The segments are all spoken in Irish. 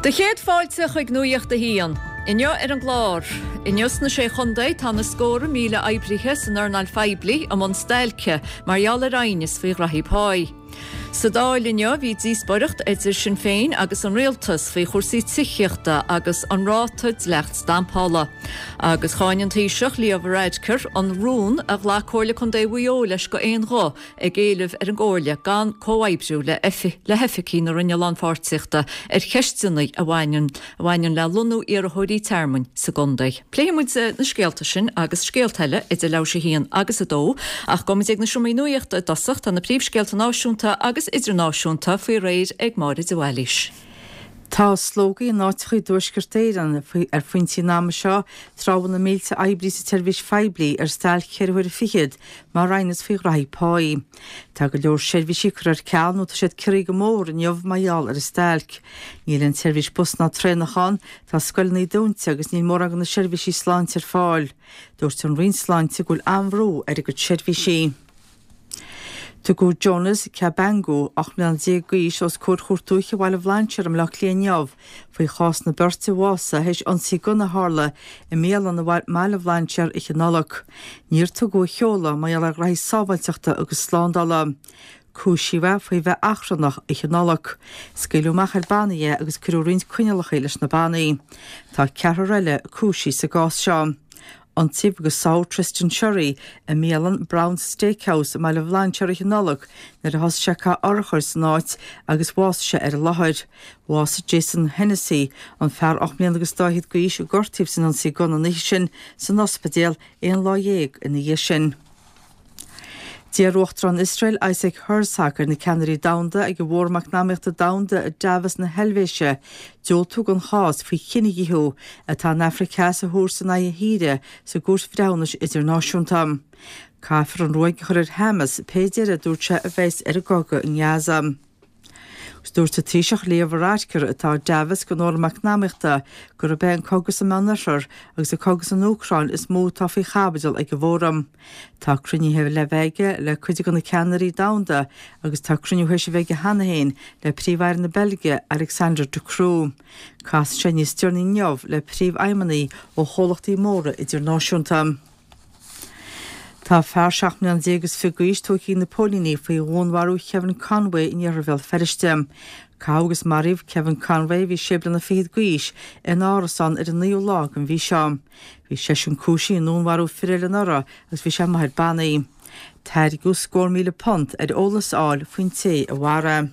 Do chéad fáilte chuig Nuacht a hAon. Inniu ar an gclár. Inniu sna Sé Chontae tá na scórtha míle oibrithe san earnáil phoiblí i mbun stailce mar gheall ar aighneas faoi ghraithí páí. Sa Dáil inniu bhí díospóireacht idir Sinn Féin agus an Rialtas faoi chúrsaí tithíochta agus an ráta dleacht stampála. Agus cháin an Taoiseach Leo Varadkar an rún a ghlac Comhairle Contae Mhaigh Eo leis go aon ghuth ag éileamh ar an gComhairle gan comhoibriú le le hoifigigh na Roinne Lánpháirtíochta ar cheisteanna a bhaineann a bhaineann le lonnú iarrthóirí tearmainn sa gcontae. Pléifidh muid na scéalta sin agus scéalta eile idir leathuair théis a haon agus a dó, ach gabhfaidh muid ag na seomraí nuachta i dtosach, tá na príomhscéalta náisiúnta agus idirnáisiúnta faoi réir ag Máire de Bhailís. Tá slógaí in áiteacha i dTuaisceart Éireann ar phointí an ama seo tráth a bhfuil na mílte oibrí sa tseirbhís phoiblí ar stailc cheithre huaire fichead mar aighneas faoi ghraithí páí. Tá go leor seirbhísí curtha ar ceal nó tá siad ciorraithe go mór inniu mar gheall ar an stailc. Níl aon tseirbhís bus ná traenach ann, tá scoileanna dúnta agus níl mórán de na seirbhísí sláinte ar fáil. Dúirt an Roinn Sláinte go bhfuil an-bhrú ar a gcuid seirbhísí. Tugadh Jonas Kabangu, 18 mbliana d'aois, os comhair Chúirt Dúiche Bhaile Bhlainséir i mBaile Átha Cliath inniu faoi chás na beirte a bhásaigh théis ionsaí gunna a tharla i mbialann i mBaile Bhlainséir oíche Nollag. Níor tugadh a sheoladh mar gheall ar ghraithí sábháilteachta agus slándála. Cúisíodh é faoi bheith achrannach oíche Nollag. Scaoileadh amach ar bannaí é agus cuireadh roinnt coinníollacha leis na bannaí. Tá ceathrar eile cúisithe sa gcás seo. Ionsaíodh agus sáthadh Tristan Sherry i mbialann Brown's Steakhouse i mBaile Bhlainséir oíche Nollag nuair a thosaigh sé ag caitheamh urchair san áit agus bhásaigh sé ar an láthair. Bhásaigh Jason Hennessy, an fear 8 mbliana agus dá fhichead d'aois a gortaíodh san ionsaí gunna an oíche sin, san ospidéal aon lá dhéag ina dhiaidh sin. D'iarr Uachtarán Iosrael Isaac Herzog ar na ceannairí domhanda ag an bhFóram Eacnamaíochta Domhanda i Davos na hEilvéise diúltú don chás faoi chinedhíothú atá an Afraic Theas a thabhairt in aghaidh a thíre sa gCúirt Bhreithiúnais Idirnáisiúnta. Caithfear an ruaig a chur ar Hamas pé deireadh a dúirt sé a bheas ar an gcogadh i nGaza. Agus dúirt an Taoiseach Leo Varadkar, atá i Davos don Fhóram Eacnamaíochta, gurb é an cogadh sa Meánoirthear agus an cogadh san Úcráin is mó atá faoi chaibidil ag an bhfóram. Tá cruinnithe le bheith aige le cuid de na ceannairí domhanda agus tá cruinniú théis a bheith aige cheana féin le Príomh-Aire na Beilge, Alexander De Croo. Casfaidh sé níos deireanaí inniu le príomhfheidhmeannaigh ó chomhlachtaí móra idirnáisiúnta. Tá fear 17 mbliana is fiche d'aois tógtha ag na póilíní faoi dhúnmharú Kevin Conway in iarthar Bhéal Feirste. Caitheadh agus maraíodh Kevin Conway, a bhí sé bliana fichead d'aois, ina árasán ar an naoú lá den mhí seo. Bhí seisean cúisithe i ndúnmharú fir eile anuraidh agus bhí sé amuigh ar bannaí. Tairgeadh scór £1,000 ar eolas a fháil faoin té a mharaigh.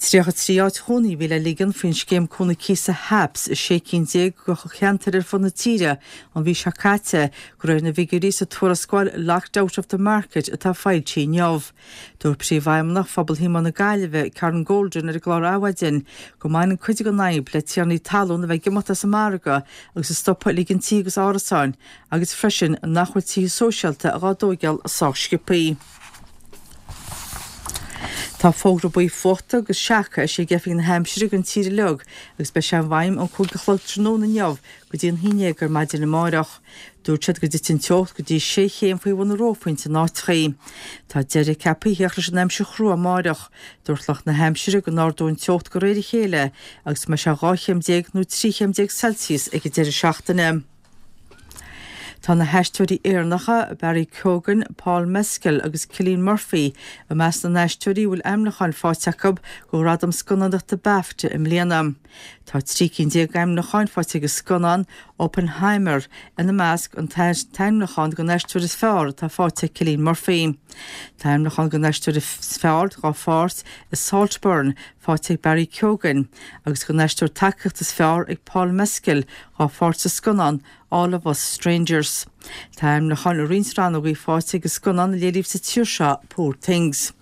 33 áit chónaí a bhí le ligean faoin scéim cúnamh cíosa HAPS i 16 cinn de cheantair ar fud na tíre an mhí seo caite, de réir na bhfigiúirí sa tuarascáil Locked Out of the Market atá foilsithe inniu. Dúirt Príomhfheidhmeannach Phobal Shíomóin na Gaillimhe, Karen Golden ar an gclár Adhmhaidin go mbaineann cuid den fhadhb le tiarnaí talún a bheith ag imeacht as an margadh agus ag stopadh ag ligean tithe agus árasáin agus freisin nach bhfuil tithe sóisialta dhá dtóigeáil sách sciobthaí. Tá fógra buí fuachta agus seaca eisithe ag Oifig na hAimsire don tír uilig agus beidh sé i bhfeidhm ón 5 a chlog tráthnóna inniu go dtí an 11 ar maidin amáireach. Dúirt siad go dtitfidh an teocht go dtí sé chéim faoi bhun an reophointe in áiteachaí. Tá deireadh ceaptha a theacht leis an aimsir chrua amáireach. Dúirt lucht na haimsire go n-ardóidh an teocht de réir a chéile agus go mbeidh sé 12 chéim nó 13 chéim Celsius ag an deireadh seachtaine. Tá na haisteoirí Éireannacha Barry Keoghan, Paul Mescal agus Cillian Murphy i measc na n-aisteoirí a bhfuil ainmniúcháin faighte acu do Ghradaim Scannánaíochta Bafta i mbliana. Tá 13 cinn d'ainmniúcháin faighte ag an scannán Oppenheimer, ina measc an t-ainmniúchán don aisteoir is fearr atá faighte ag Cillian Murphy. Tá ainmniúchán don aisteoir is fearr dá pháirt i Saltburn faighte ag Barry Keoghan agus don aisteoir tacaíochta is fearr ag Paul Mescal dá pháirt sa scannán All of Us Strangers. Tá ainmniúcháin i roinnt rannógaí faighte ag an scannán a léiríodh sa tír seo, Poor Things.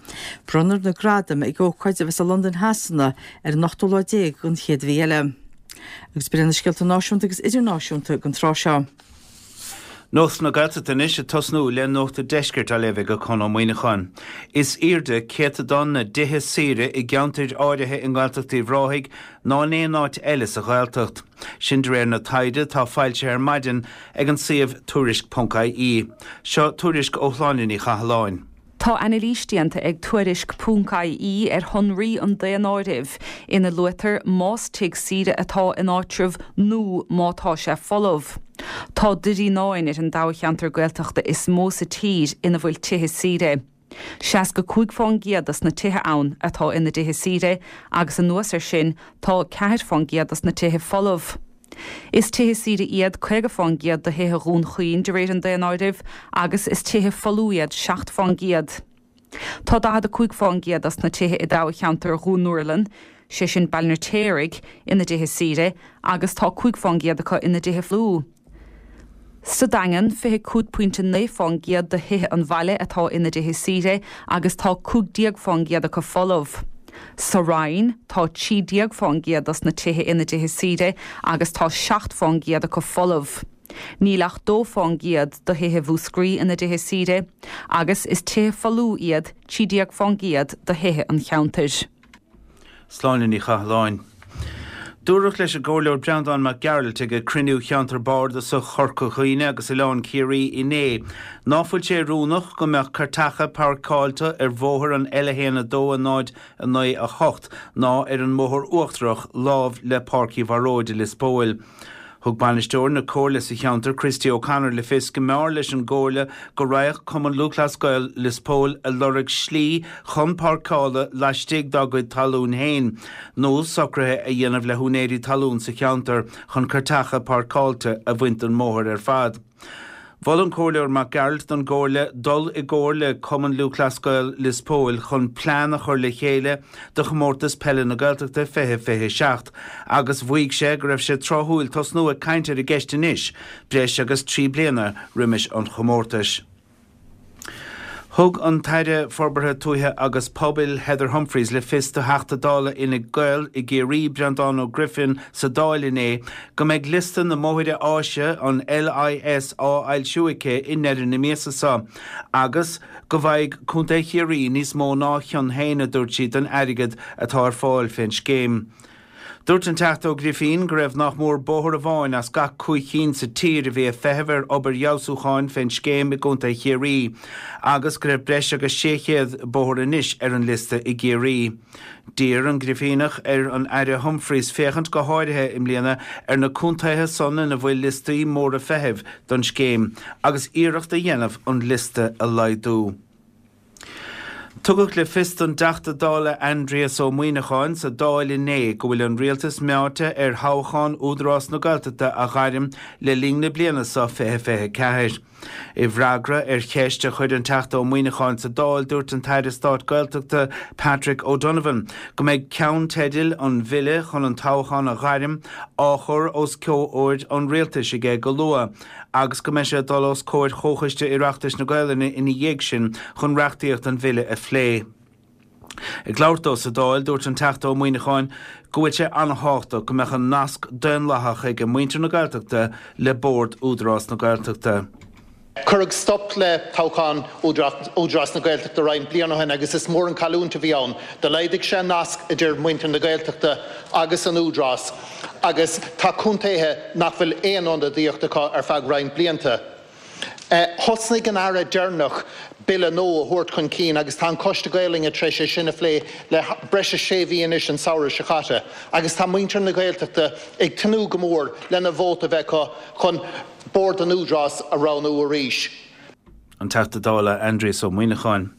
Bronnfar na gradaim ag ócáid a bheas i Londain Shasana ar an ochtú lá déag den chéad mhí eile. Agus b'in iad na scéalta náisiúnta agus idirnáisiúnta don tráth seo. Nuacht na Gaeltachta anois ag tosnú le Nuacht an Deiscirt á léamh ag Conn Ó Muíneacháin. Is airde céatadán na dtithe saoire i gceantair áirithe i nGaeltacht Uíbh Ráthaigh ná in aon áit eile sa Ghaeltacht. Sin de réir na taighde atá foilsithe ar maidin ag an suíomh Tuairisc.ie. Seo tuairisc ó Shláine Ní Chathalláin. Tá anailís déanta ag Tuairisc ponc IE ar shonraí an daonáirimh, ina luaitear más tigh saoire atá in áitreabh nó má tá sé folamh. Tá Doire Fhíonáin ar an dtoghcheantar Gaeltachta is mó sa tír ina bhfuil tithe saoire. 65% dos na tithe ann atá ina dtithe saoire agus anuas air sin tá 4% dos na tithe folamh. Is tithe saoire iad 50% de thithe Dhún Chaoin de réir an daonáirimh agus is tithe folmha iad 7%. Tá 45% dos na tithe i dtoghcheantar Dhún Úrlann, sé sin Baile an Fheirtéaraigh, ina dtithe saoire agus tá 5% acu ina dtithe folmha. Sa Daingean, 25.9% de thithe an bhaile atá ina dtithe saoire agus tá 15% acu folamh. Sa Rinn, tá 13% dos na tithe ina dtithe saoire agus tá 7% acu folamh. Níl ach 2% de thithe Mhúscraí ina dtithe saoire agus is tithe folmha iad 13% de thithe an cheantair. Sláine Ní Chathalláin. Dúradh leis an gComhairleoir Breandán Mac Gearailt ag cruinniú Cheantar Bardasach Chorca Dhuibhne agus Oileán Ciarraí inné ná fuil sé oiriúnach go mbeadh cairteacha páirceáilte ar bhóthar an L1 2 0 9 8 ná ar an mBóthar Uachtarach lámh le Páirc Uí Bharóid i Lios Póil. Thug bainisteoir na Comhairle sa cheantar, Christy O'Connor, le fios go mb'fhearr leis an gComhairle go raghadh Cumann Lúthchleas Gael Lios Póil ag lorg slí chun páirceála laistigh dá gcuid talún féin nó socruithe a dhéanamh le húinéirí talún sa cheantar chun cairteacha páirceáilte a bhaint den mbóthar ar fad. Mhol an Comhairleoir Mac Gearailt don gComhairle dul i gcomhar le Cumann Lúthchleas Gael Lios Póil chun plean a chur le chéile do Chomórtas Peile na Gaeltachta 2027 agus mhaígh sé go raibh sé tráthúil tosnú ag caint ar an gceist anois, breis agus 3 bliana roimis an chomórtais. Thug an tAire Forbartha Tuaithe agus Pobail, Heather Humphreys, le fios do Theachta Dála Fhine Gael i gCiarraí, Breandán Ó Grifín, sa Dáil inné go mbeidh liosta na mbóithre áise, an LIS, á fhoilsiú aici i ndeireadh na míosa seo agus go bhfaighidh Contae Chiarraí níos mó ná a chion féin, a dúirt sí, den airgead atá ar fáil fén scéim. Dúirt an Teachta Ó Grifín go raibh nach mór bóthar amháin as gach 5 chinn sa tír a bhí ag feitheamh ar obair fheabhsúcháin fén scéim i gContae Chiarraí agus go raibh breis agus 600 bóthar anois ar an liosta i gCiarraí. D'iarr an Grifíneach ar an Aire Humphreys féachaint go háirithe i mbliana ar na contaetha san ina bhfuil liostaí móra feithimh don scéim agus iarracht a dhéanamh an liosta a laghdú. Tugadh le fios don dTeachta Dála Aindrias Ó Muimhneacháin sa Dáil inné go bhfuil an Rialtas meáite ar thoghchán Údarás na Gaeltachta a ghairm le linn na bliana seo 2024. I bhfreagra ar cheist a chuir an Teachta Ó Muimhneacháin sa Dáil dúirt an tAire Stáit Gaeltachta Patrick O'Donovan go mbeidh ceannteidil an bhille chun an toghchán a ghairm á chur os comhair an Rialtais aige go luath agus go mbeidh sé ag dul os comhair Chomhchoiste Oireachtais na Gaelainne ina dhiaidh sin chun reachtaíocht an bhille a phlé. Ag labhairt dó sa Dáil, dúirt an Teachta Ó Muimhneacháin go bhfuil sé an-thábhachtach go mbeadh an nasc daonlathach ag muintir na Gaeltachta le Bord Údarás na Gaeltachta. Cuireadh stop le toghchán Údarás na Gaeltachta roinnt bliain ó shin agus is mór an cailliúint a bhí ann. Do laghdaigh sé an nasc idir muintir na Gaeltachta agus an Údarás agus tá contaetha nach bhfuil aon ionadaíocht acu ar feadh roinnt blianta. Thosnaigh an Aire deireanach Bille nua a thabhairt chun cinn agus tá an Coiste Gaelainne tar éis é sin a phlé le breis is sé mhí anois, an samhradh seo caite, agus tá muintir na Gaeltachta ag tnúth go mór lena vóta a bheith acu chun Bord an Údaráis a roghnú arís. An Teachta Dála Aindrias Ó Muimhneacháin.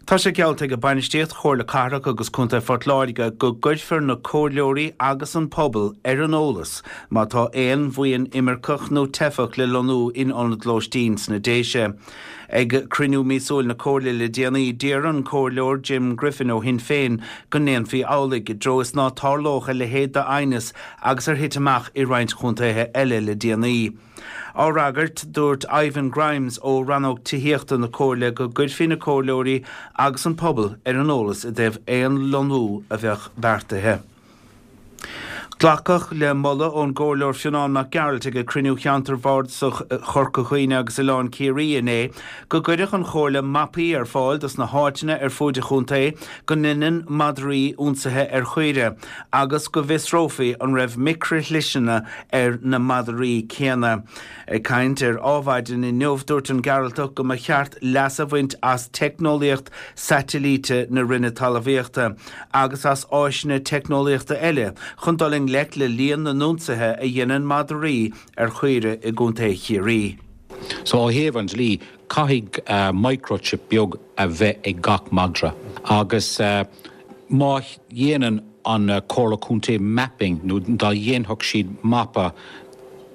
Tá sé geallta ag bainistíocht Chomhairle Cathrach agus Contae Phort Láirge go gcuirfear na comhairleoirí agus an pobal ar an eolas má tá aon bhuíon imirceach nó teifeach le lonnú in ionad lóistín sna Déise. Ag cruinniú míosúil na Comhairle le déanaí, d'iarr an Comhairleoir Jim Griffin ó Shinn Féin go ndéanfaí amhlaidh, i dtreo is ná tarlódh a leithéid d'aighneas agus ar thit amach i roinnt chontaetha eile le déanaí. Á fhreagairt, dúirt Ivan Grimes ó Rannóg Tithíochta na Comhairle go gcuirfí na comhairleoirí agus an pobal ar an eolas i dtaobh aon lonnú a bheadh beartaithe. Glacadh le moladh ón gComhairleoir Fionnán Mac Gearailt ag cruinniú Cheantar Bhardasach Chorca Dhuibhne agus Oileán Ciarraí inné go gcuirfeadh an Chomhairle mapaí ar fáil dos na háiteanna ar fuaid an chontae go ndeineann madraí ionsaithe ar chaoire agus go bhfiosrófaí an raibh micrishliseanna ar na madraí céanna. Ag caint ar Adhmhaidin inniu, dúirt an Gearaltach go mba cheart leas a bhaint as teicneolaíocht saitilíte na Roinne Talmhaíochta agus as áiseanna teicneolaíochta eile chun dul i ngleic le líon na n-ionsaithe a dhéanann madraí ar chaoire i gContae Chiarraí. So ó thaobh an dlí, caithfidh microchip beag a bheith ag gach madra agus má dhéanann an Comhairle Contae mapping nó dá dhéanfadh siad mapa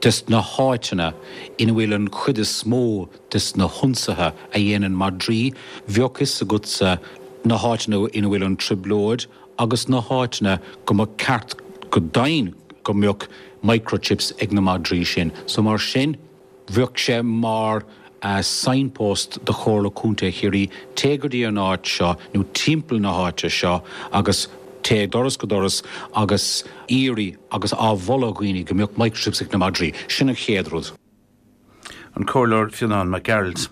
des na háiteanna ina bhfuil an chuid is mó des na hionsaithe a dhéanann madraí, bheadh fhios agatsa na háiteanna ina bhfuil an trioblóid agus na háiteanna go mba ceart go deimhin go mbeadh microchips ag na madraí sin. So mar sin, bheadh sé mar signpost do Chomhairle Contae Chiarraí, téigh go dtí an áit seo nó timpeall na háite seo agus téigh doras go doras agus iarraidh agus á mholadh dhaoine go mbeadh microchips ag na madraí. Sin an chéad rud. An Comhairleoir Fionnán Mac Gearailt.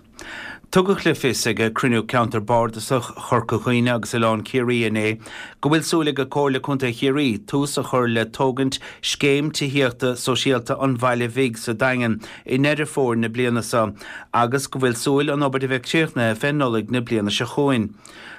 Tugadh le fios ag cruinniú Ceantar Bardasach Chorca Dhuibhne agus Oileán Ciarraí inné go bhfuil súil ag Comhairle Contae Chiarraí tús a chur le tógaint scéim tithíochta sóisialta an Bhaile Bhig sa Daingean i nDeireadh Fómhair na bliana seo agus go bhfuil súil an obair a bheith críochnaithe fé Nollaig na bliana seo chugainn.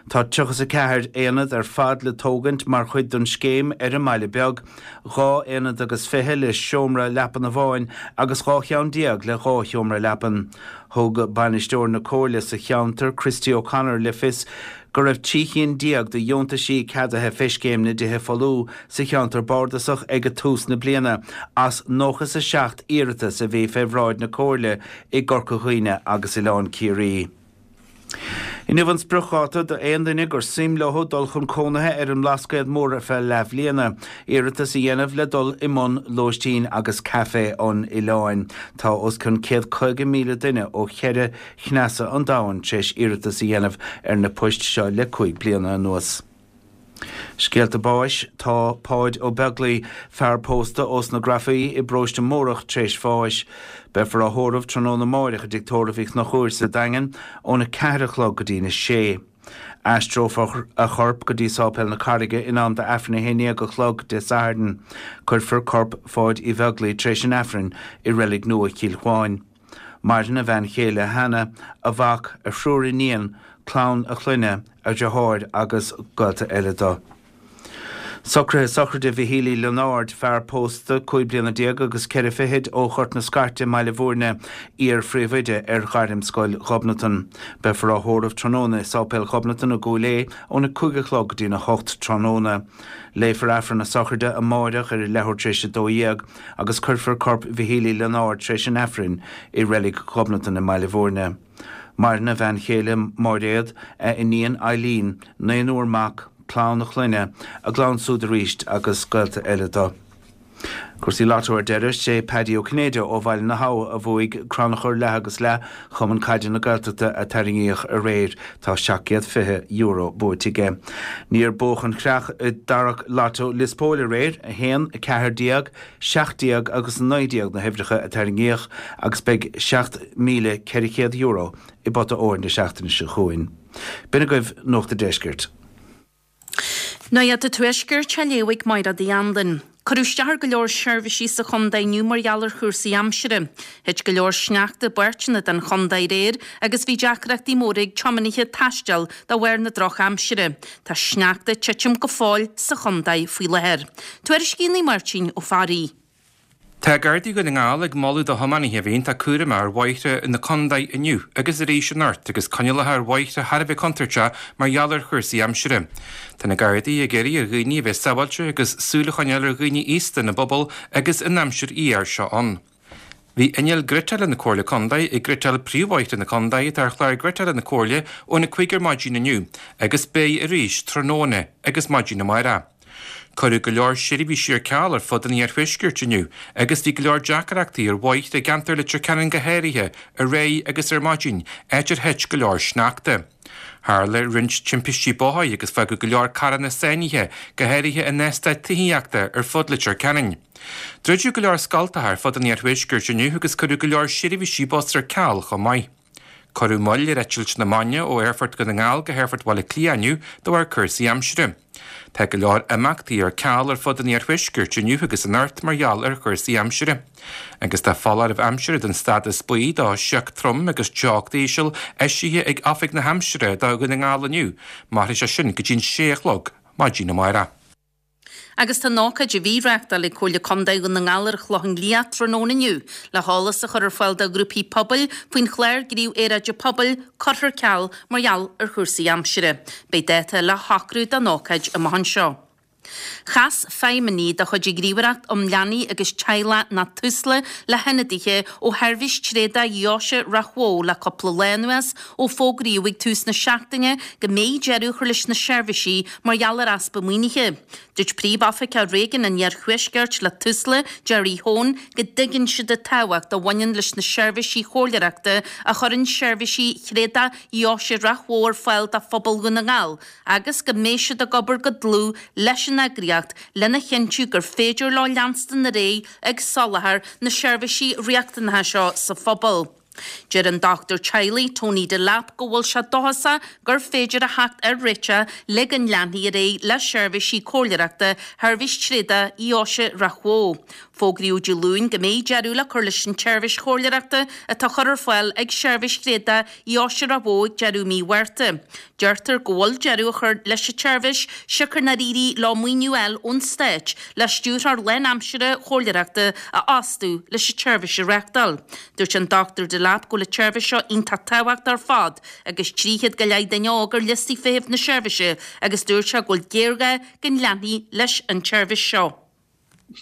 Tá 34 aonad ar fad le tógaint mar chuid don scéim ar an mBaile Beag, 2 aonad agus 20 le seomra leapan amháin agus 12 cheann le 2 sheomra leapan. Thug bainisteoir na Comhairle sa cheantar, Christy O'Connor, le fios go raibh 13 chinn de dheontaisí ceadaithe fé Scéim na dTithe Folmha sa cheantar bardasach ag tús na bliana as 97 iarratas a bhí fé bhráid na Comhairle i gCorca Dhuibhne agus Oileán Ciarraí. Inniu an spriocdháta do aon duine gur suim leo dul chun cónaithe ar an mBlascaod Mór ar feadh leathbhliana, iarratas a dhéanamh le dul i mbun lóistín agus caife an oileáin. Tá os cionn 150,000 duine ó cheithre chneasa an domhain tar éis iarratas a dhéanamh ar na poist seo le 5 bliana anuas. Scéalta báis, Tá Páid Ó Beaglaoi, fear pósta ós na Grafaí i bparóiste Mórdhach tréis bháis. Beifear á thórramh tráthnóna amáireach i dTigh Tórraimh Uí Chonchúir sa Daingean óna 4 a chlog go dtína 6. Aistreofar a chorp go dtí Sáipéal na Carraige in am d'Aifreann 11 a chlog Dé Sathairn. Cuirfear corp Pháid Uí Bheaglaoi tréis an Aifrinn i Reilig Nua Chill Chuáin. Maireann a bhean chéile Hannah, a mhac, a thriúr iníon, clann a chlainne, a dhriotháir agus gaolta eile dó. Socruithe sochraide Mhichíl Uí Lionáird, fear pósta, 15 bliana agus 4 fichid ó Ghort na Scairte i mBaile Bhúirne, iar-phríomhoide ar Ghairmscoil Ghobnatan. Beifear á thórramh tráthnóna i Sáipéal Ghobnatan i gCúil Aodha óna 5 a chlog go dtína 8 tráthnóna. Léifear Aifreann na sochraide amáireach ar a leathuair tar éis 12 agus cuirfear corp Mhichíl Uí Lionáird tar éis an Aifrinn i Reilig Ghobnatan i mBaile Bhúirne. Maireann a bhean chéile Máiréad, a iníon Eileen, naonúr mac, clann a chlainne, a gclann súd arís agus gaolta eile dó. Cúrsaí Lotto ar deireadh, sé Paddy Ó Cinnéide ó Bhaile na hAbha a bhuaigh crannchur leath agus leath Chumann Caide na Gaeltachta a tarraingíodh aréir. Tá €720 buaite aige. Níor buadh an chreach i dtarrac Lotto Lios Póil aréir, 1, 14, 17 agus 19 na huimhreacha a tarraingíodh agus beidh €7,400 i bpota óir na seachtaine seo chugainn. B'in agaibh Nuacht an Deiscirt. Nuacht an Tuaiscirt á léamh ag Máire Uí Anluain. Cuireadh isteach ar go leor seirbhísí sa chontae inniu mar gheall ar chúrsaí aimsire. Thit go leor sneachta i bpáirteanna den chontae aréir agus bhí deacrachtaí móra ag tiománaithe taisteal de bharr na drochaimsire. Tá sneachta ag titim go fóill sa chontae faoi láthair. Tuairiscíonn Máirtín Ó Fearraigh. Tá Gardaí Dhún na nGall ag moladh do thiománaithe a bheith iontach cúramach ar bhóithre na contae inniu agus arís anocht agus coinníollacha ar bhóithre thar a bheith contúirteach mar gheall ar chúrsaí aimsire. Tá na Gardaí ag iarraidh ar dhaoine a bheith sábháilte agus súil a choinneáil ar dhaoine aosta ina bpobal agus an aimsir fhuar seo ann. Bhí inneall gréatála na Comhairle Contae ag gréatáil príomhbhóithre na contae atá ar chlár gréatála na Comhairle óna 5 ar maidin inniu agus beidh arís tráthnóna agus maidin amárach. Cuireadh go leor seirbhísí ar ceal ar fud an iarthuaiscirt inniu agus bhí go leor deacrachtaí ar bhóithre i gceantar Leitir Ceanainn go háirithe, aréir agus ar maidin, áit ar thit go leor sneachta. Tharla roinnt timpistí bóthair agus fágadh go leor carranna sáinnithe, go háirithe in eastáit tithíochta ar fud Leitir Ceanainn. Druideadh go leor scoltacha ar fud an iarthuaiscirt inniu agus cuireadh go leor seirbhísí bus ar ceal chomh maith. Cuireadh moill ar eitilt na maidne ó Aerfort Dhún na nGall go hAerfort Bhaile Átha Cliath inniu de bharr cúrsaí aimsire. Tá go leor imeachtaí ar ceal ar fud an iarthuaiscirt inniu agus anocht mar gheall ar chúrsaí aimsire. Agus tá foláireamh aimsire den stádas buí do shioc trom agus teocht íseal eisithe ag Oifig na hAimsire do Dhún na nGall inniu. Mairfidh sé sin go dtí'n sé a chlog maidin amárach. Agus tá an ócáid a bhí á reáchtáil ag Comhairle Contae Dhún na nGall ar an Chlochán Liath tráthnóna inniu le heolas a chur ar fáil do ghrúpaí pobail faoin chlár Gníomh Aeráide Pobail curtha ar ceal mar gheall ar chúrsaí aimsire. Beidh dáta le shocrú don ócáid amach anseo. Chas feidhmeannaigh de chuid an Ghníomhaireacht um Leanaí agus Teaghlach nó Tusla le hionadaithe ó Sheirbhís Tréadach Dheoise Ráth Bhoth le cúpla lá anuas ó fógraíodh ag tús na seachtaine go mbeidh deireadh á chur leis na seirbhísí mar gheall ar easpa maoinithe. Dúirt Príomh-Oifigeach Réigiún an Iarthuaiscirt le Tusla, Gerry Hone, go dtuigeann siad an tábhacht a bhaineann leis na seirbhísí chomhairleoireachta a chuireann Seirbhísí Thréadach Dheoise Ráth Bhoth ar fáil do phobal Dhún na nGall agus go mbeidh siad ag obair go dlúth leis an eagraíocht lena chinntiú gur féidir leo leanstan ar aghaidh ag soláthar na seirbhísí riachtanacha seo sa phobal. Deir an dochtúir teaghlaigh, Tony Delap, go bhfuil sé dóchasach gur féidir a theacht ar réiteach le go leanfaí ar aghaidh le seirbhísí comhairleoireachta Sheirbhís Tréadach Dheoise Ráth Bhoth. Fógraíodh Dé Luain go mbeidh deireadh le cur leis an tseirbhís chomhairleoireachta atá á chur ar fáil ag Seirbhís Thréadach Dheoise Ráth Bhoth ag deireadh mí Mhárta. Deirtear go bhfuil deireadh á chur leis an tseirbhís siocair nár éirigh leo maoiniú a fháil ón Stát le stiúrthóir lánaimseartha chomhairleoireachta a fhostú leis an tseirbhís a reáchtáil. Dúirt an Dr Delap go bhfuil an tseirbhís seo iontach tábhachtach ar fad agus 300 go leith duine óg ar liostaí feithimh na seirbhíse agus dúirt sé go bhfuil géarghá go leanfaí leis an tseirbhís seo.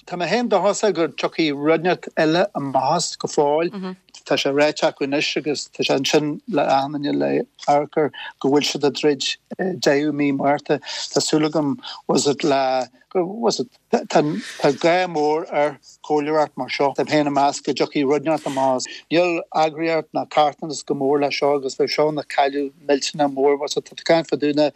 Tá mé féin dóchasach go dtiocfaidh rud inteacht eile amach as go fóill. Tá sé ráite acu anois agus tá sé ansin le achan duine le amharc air go bhfuil siad ag troid deireadh mí Márta. Tá súil agam was it le was it tá tá gá mór ar chomhairleoireacht mar seo. Tá mé féin ag meas go dtiocfaidh rud inteacht amach as. Níl eagraíocht ná carthanas go mór le seo agus bheadh seo ina cailleadh millteanach mór was it tá caint fá dtaobh na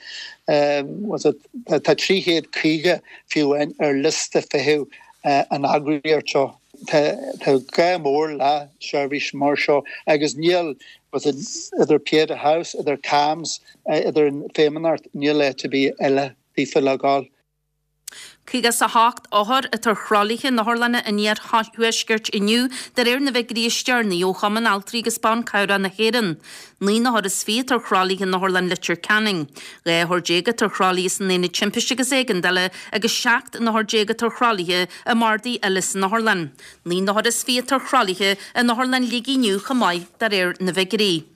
was it Tá 350 fiú amháin ar liosta feithimh an eagraíocht seo. Tá gá mór le seirbhís mar seo agus níl idir Pieta House, idir CAMHS, idir an Feidhmeannacht, níl áit ar bith eile daofa le gabháil. 58 othar atá ar thralaithe in otharlanna an iarthuaiscirt inniu, de réir na bhfigiúirí is deireanaí ó Chumann Altraí agus Ban Cabhrach na hÉireann. 19 n-othar atá ar thralaithe in Otharlann Leitir Ceanainn. 12 othar atá ar thralaithe san Aonad Timpiste agus Éigeandála agus 17 n-othar atá ar thralaithe i mbardaí eile san otharlann. 19 n-othar atá ar thralaithe in Otharlann Shligigh inniu chomh maith, de réir na bhfigiúirí.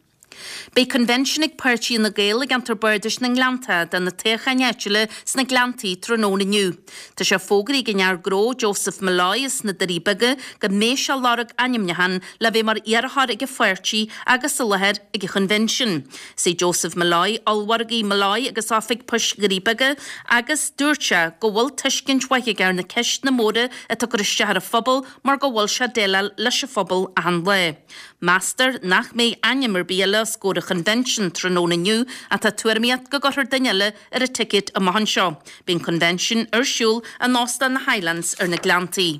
Beidh convention ag páirtí Fhine Gael i gceantar Bardais na nGleannta do na toghcháin áitiúla sna Gleanntaí tráthnóna inniu. Tá sé fógraithe ag an fhear gnó Joseph Molloy as na Doirí Beaga go mbeidh sé ag lorg ainmniúchán le bheith mar iarrthóir ag an pháirtí agus i láthair ag an choinbhinsean. Is é Joseph Molloy ollmhargaí Molloy agus Oifig Poist Dhoirí Beaga agus dúirt sé go bhfuil tuiscint mhaith aige ar na ceisteanna móra atá ag cur isteach ar an phobal mar go bhfuil sé ag déileáil leis an phobal achan lá. Meastar nach mbeidh ainm ar bith eile os comhair an choinbhinsin tráthnóna inniu ach tá tuairimíocht go gcuirfear duine eile ar an ticéad amach anseo. Beidh an coinbhinsean ar siúl in Óstán na Highlands ar na Gleanntaí.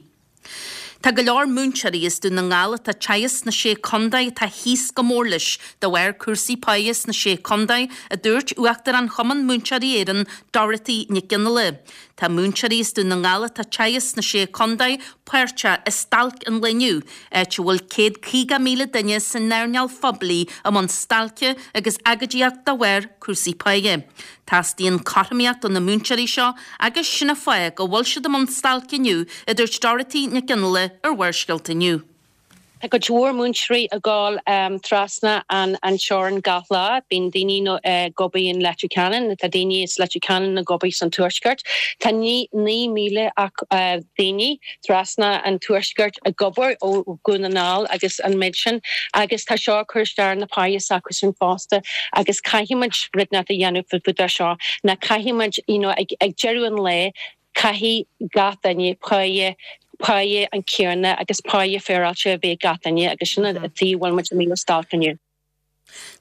Tá go leor múinteoirí as Dún na nGall atá ag teagasc sna Sé Contae atá thíos go mór leis de bharr cúrsaí páighe sna Sé Contae, a dúirt Uachtarán Chumann Múinteoirí Éireann, Dorothy Nic Fhionnghaile. Tá múinteoirí as Dún na nGall atá ag teagasc sna Sé Contae páirteach i stailc an lae inniu, áit a bhfuil 150,000 duine san earnáil phoiblí i mbun stailce agus agóidíocht de bharr cúrsaí páighe. Teastaíonn cothromaíocht do na múinteoirí seo agus sin an fáth go bhfuil siad i mbun stailce inniu, a dúirt Dorothy Nic Fhionnghaile ar Bharrscéalta inniu. Tá cuid mhór múinteoirí ag gabháil trasna an teorainn gach lá. Bíonn daoine ag obair in Leitir Ceanainn, tá daoine as Leitir Ceanainn ag obair san Tuaisceart. Tá 9,000 daoine trasna an Tuaiscirt ag obair ó Dhún na nGall agus an méid sin agus tá seo ag cur isteach ar na páighe s'acusan fosta agus caithfidh muid rud inteacht a dhéanamh fá dtaobh de seo ná caithfidh muid you know ag deireadh an lae. Caithfidh gach duine páighe, páighe an céanna agus páighe féaráilte a bheith ag gach duine agus sin an tuige a bhfuil muid amuigh ar stailc inniu.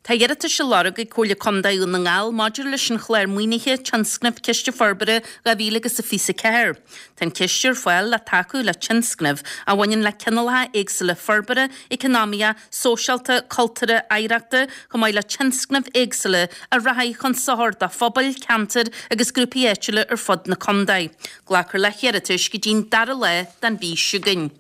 Tá iarratais á lorg ag Comhairle Contae Dhún na nGall maidir leis an chlár maoinithe Tionscnamh Ciste Forbartha 2024. Tá an ciste ar fáil le tacú le tionscnaimh a bhaineann le cineálacha éagsúla forbartha eacnamaíocha, sóisialta, cultúrtha, oidhreachta, chomh maith le tionscnaimh éagsúla a rachaidh chun sochair do phobail, ceantair agus grúpaí áitiúla ar fud na contae. Glacfar le hiarratais go dtí'n dara lá den mhí seo chugainn.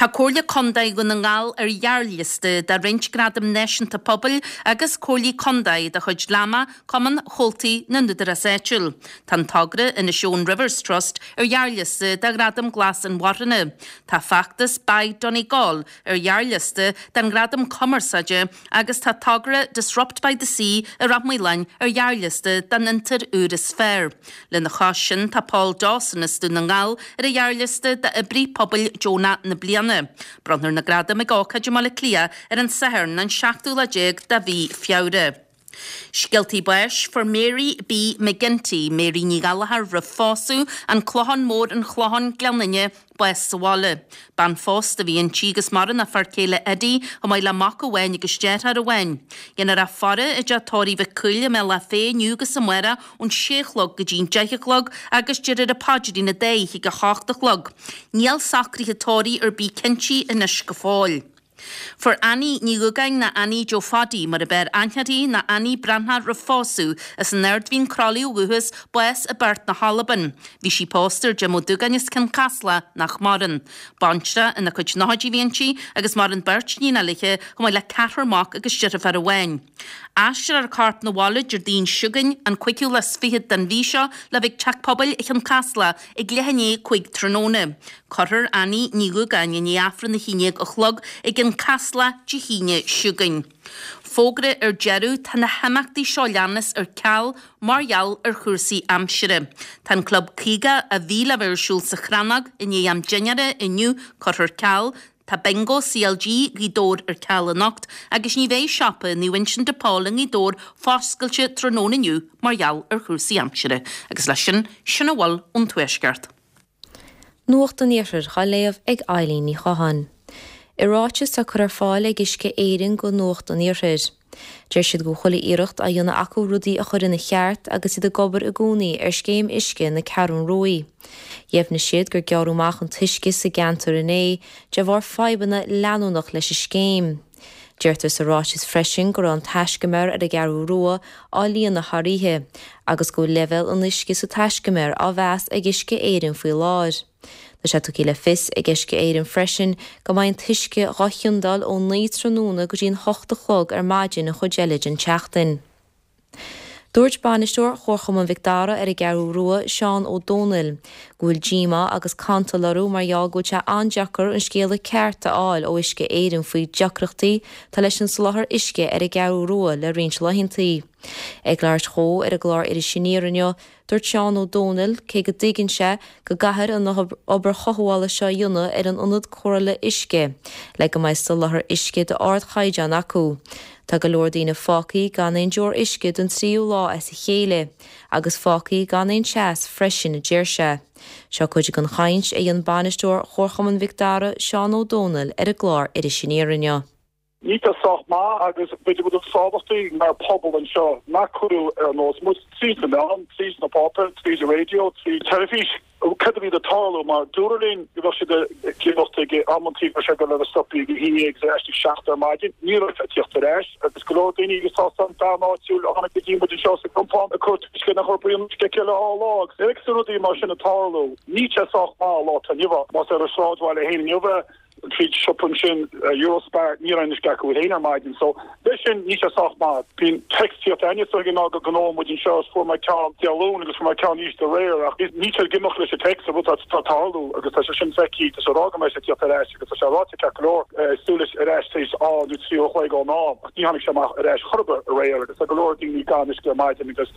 Tá Comhairle Contae Dhún na nGall ar ghearrliosta do roinnt gradam náisiúnta pobail agus comhairlí contae de chuid LAMA, Cumann Chomhaltaí na nÚdarás Áitiúil. Tá an togra Inishowen Rivers Trust ar ghearrliosta do Ghradam Glas Inmharthana. Tá feachtas Buy Donegal ar ghearrliosta don Ghradam Cumarsáide agus tá togra Disrupt by the Sea i Ráth Maoláin ar ghearrliosta don Fhiontar Úr is Fearr. Lena chois sin, tá Paul Dawson as Dún na nGall ar an ghearrliosta d'Oibrí Pobail Deonach na Bliana. Bronnfar na gradaim ag ócáid i mBaile Átha Cliath ar an Satharn, an seachtú lá déag de mhí Feabhra. Scéaltaí báis, Fuair Mary B McGinty, Mary Ní Ghallchóir roimh phósadh, An Clochán Mór, An Clochán, Gleann Fhinne, bás sa bhaile. Bean phósta a bhí inti agus maireann a fear céile Eddie chomh maith le mac amháin agus deartháir amháin. Déanfar a faire i dteach tórraimh Mhic Cumhaill i mBealach Féich inniu agus amárach ón sé a chlog go dtí'n deich a chlog agus déarfar an paidrín an dá oíche ag a hocht a chlog. Níl socruithe tórraimh ar bith cinntí anois go fóill. Fuair Annie Ní Dhúgáin nó Annie Joe Phaidí mar ab fhearr aithne uirthi nó Annie Breathnach roimh phósadh, as an Ard Mhín Crolly ó dhúchas, bás i bPeairt na hAlban. Bhí sí pósta ar Jim Ó Dúgáin as Cionn Caslach, nach maireann. Baintreach ina cuid nóchaidí a bhí inti agus maireann beirt níonacha léi chomh maith le ceathrar mac agus deirfiúr amháin. Aistreofar a corp 'na bhaile Déardaoin seo chugainn, an cúigiú lá is fichead den mhí seo, le bheith ag Teach Pobail Chionn Caslach ag leath i ndiaidh 5 tráthnóna. Cuirfear Annie Ní Dhúgáin i ndiaidh Aifreann 11 a chlog i gCionn Caslach Dé hAoine seo chugainn. Fógra ar deireadh, tá na himeachtaí seo leanas ar ceal mar gheall ar chúrsaí aimsire. Tá an Club 50 a bhí le bheith ar siúl sa Chrannóg i ndiaidh am dinnéara inniu curtha ar ceal, Tá Bingo CLG Ghaoth Dobhair ar ceal anocht agus ní bheidh siopa Naomh Uinseann de Pól i nGaoth Dobhair foscailte tráthnóna inniu mar gheall ar chúrsaí aimsire. Agus leis sin, sin a bhfuil ón Tuaisceart. Nuacht an Iarthair á léamh ag Eileen Ní Chatháin. I ráiteas atá curtha ar fáil ag Uisce Éireann go Nuacht an Iarthair, deir siad go bhfuil chuile iarracht á dhéanamh acu rudaí a chur ina cheart agus iad ag obair i gcónaí ar scéim uisce na Ceathrún Ruaidh. Dheimhnigh siad gur gearradh amach an t-uisce sa gceantar inné de bharr fadhbanna leanúnach leis an scéim. Deirtear sa ráiteas freisin go raibh an taiscumar ar an gCeathrú Rua á líonadh thar oíche agus go bhfuil leibhéal an uisce sa taiscumar á mheas ag Uisce Éireann faoi láthair. Tá sé tugtha le fios ag Uisce Éireann freisin go mbeidh an t-uisce dhá chiondáil ó 9 tráthnóna go dtí an 8 a chlog ar maidin an chuid eile den tseachtain. Dúirt bainisteoir Chomharchumann Mhic Dara ar an gCeathrú Rua, Seán Ó Dónaill, go bhfuil díomá agus cantal orthu mar gheall go bhfuil sé an-deacair an scéala ceart a fháil ó Uisce Éireann faoi deacrachtaí atá leis an soláthar uisce ar an gCeathrú Rua le roinnt laethantaí. Ag labhairt dhó ar an gclár Iris Aniar inniu, Dúirt Seán Ó Dónaill, cé go dtuigeann sé go gcaithfear an obair chothabhála seo a dhéanamh ar an ionad cóireála uisce le go mbeidh soláthar uisce d'ardchaighdeán acu, tá go leor daoine fágthaí gan aon deoir uisce don tríú lá as a chéile agus fágthaí gan aon teas freisin, a deir sé. Seo cuid den chaint a dhein bainisteoir Chomharchumann Mhic Dara, Seán Ó Dónaill, ar an gclár Iris Aniar inniu. Níl sé sách maith agus b'fhéidir rud is tábhachtaí mar pobal anseo nach cuireadh ar an eolas muid tríd na meáin, tríd na páipéir, tríd an raidió, tríd teilifís, cad a bhí ag tarlú mar dúradh linn go bheadh siad ag imeacht ag amantaí go raibh sé ag dul a bheith stoptha ag a haon dhéag agus ar ais ag seacht ar maidin. Ní raibh sé ag tíocht ar ais agus go leor daoine agus tá an bean áitiúil a tháinig go dtí muid anseo sa gcompán ag cur tuisce nach raibh braon uisce aici le dhá lá agus nuair a rudaí mar sin ag tarlú níl sé sách maith an lá atá inniu ann. Más ar an sráidbhaile féin inniu é, tríd siopa ansin, Eurospar, ní raibh aon uisce acu féin ar maidin. So, leis sin, níl sé sách maith. Bíonn text ag tíocht againne so ná go gnóthóidh muid anseo is fuair mé ceann Dé Luain agus fuair mé ceann arís aréir ach níl sé ag imeacht leis an text, an rud atá ag tarlú agus tá sé sin feicthe, tá sé ag rá go mbeidh sé ag tíocht ar ais agus tá sé ráite ceart go leor, súil leis ar ais tar éis dhá nó trí uair a chloig ón am ach ní tháinig sé amach ar ais chor ar bith aréir agus tá go leor daoine gan uisce ar maidin agus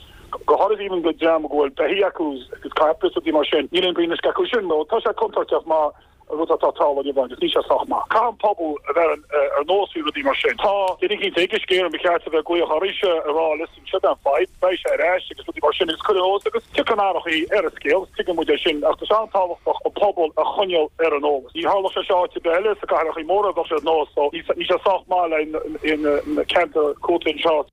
go háirithe even go dream go bhfuil beithígh acu agus capaill is rudaí mar sin, níl aon braon uisce acu sin. So, tá sé contúirteach mar. An rud atá ag tarlú inniu agus níl sé sách maith. Caithfidh an pobal a bheith ar an eolas faoi rudaí mar sin. Tá duine eicínt ag Uisce Éireann ba cheart a bheith ag glaoch oraibhse ag rá listen seo é an fadhb, beidh sé ar ais agus rudaí mar sin agus cur ar an eolas agus tiocfaidh an athrachaí ar an scéal, tuigeann muid é sin ach tá sé an-tábhachtach an pobal a choinneáil ar an eolas. Ní tharlódh sé seo áit ar bith eile sna cathrachaí móra bheadh sé ar nós so níl sé sách maith le na ceantair cúlta anseo.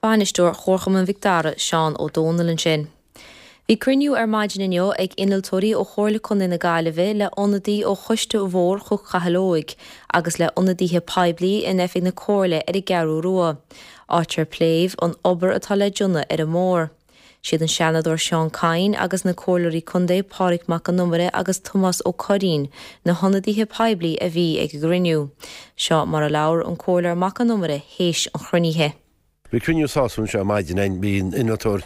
Bainisteoir Chomharchumann Mhic Dara, Seán Ó Dónaill ansin. Bhí cruinniú ar maidin inniu ag innealtóirí ó Chomhairle Contae na Gaillimhe le ionadaí ó Choiste Bhóthar Chnoc Chathail Óig agus le ionadaithe poiblí in oifig na Comhairle ar an gCeathrú Rua, áit ar pléadh an obair atá le déanamh ar an mbóthar. Siad an Seanadóir Seán Kyne agus na Comhairleoirí Contae Pádraig Mac Con Iomaire agus Tomás Ó Curraoin na hionadaithe poiblí a bhí ag an gcruinniú. Seo mar a labhair an Comhairleoir Mac Con Iomaire théis an chruinnithe. Bhí cruinniú sásúil anseo ar maidin againn. Bhí an innealtóir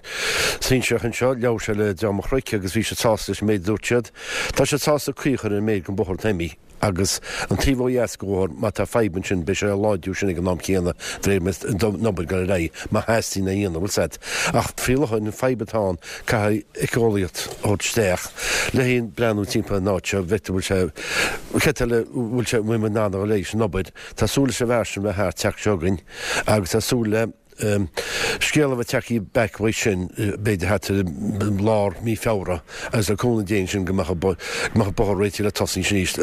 sinsearach anseo, labhair sé le dream an Chnoic agus bhí siad sásta leis an méid a dúirt siad. Tá siad sásta caoi a chur ar an méid den bhóthar atá imithe. Agus an taobh ó dheas den bhóthar, má tá fadhb ansin, beidh sé á láidriú sin ag an am céanna, de réir mar an obair ag dul ar aghaidh, má theastaíonn é a dhéanamh, bhfuil 's a'd. Ach faoi láthair, an fadhb atá ann, caithfidh éiceolaíocht a thabhairt isteach le haghaidh breathnú timpeall an áit seo, bhfeictear bhfuil sé, cad eile, bhfuil sé, bhfuil muid in ann a dhul ar aghaidh leis an obair. Tá súil leis an bhfear sin bheith thart, teacht seo chugainn, agus tá súil le. Scéal a bheith tagtha back uaidh sin, b'fhéidir thart ar lár mí Feabhra, agus le cúnamh Dé ansin go mbeadh an bóthar réitithe le tosaí arís.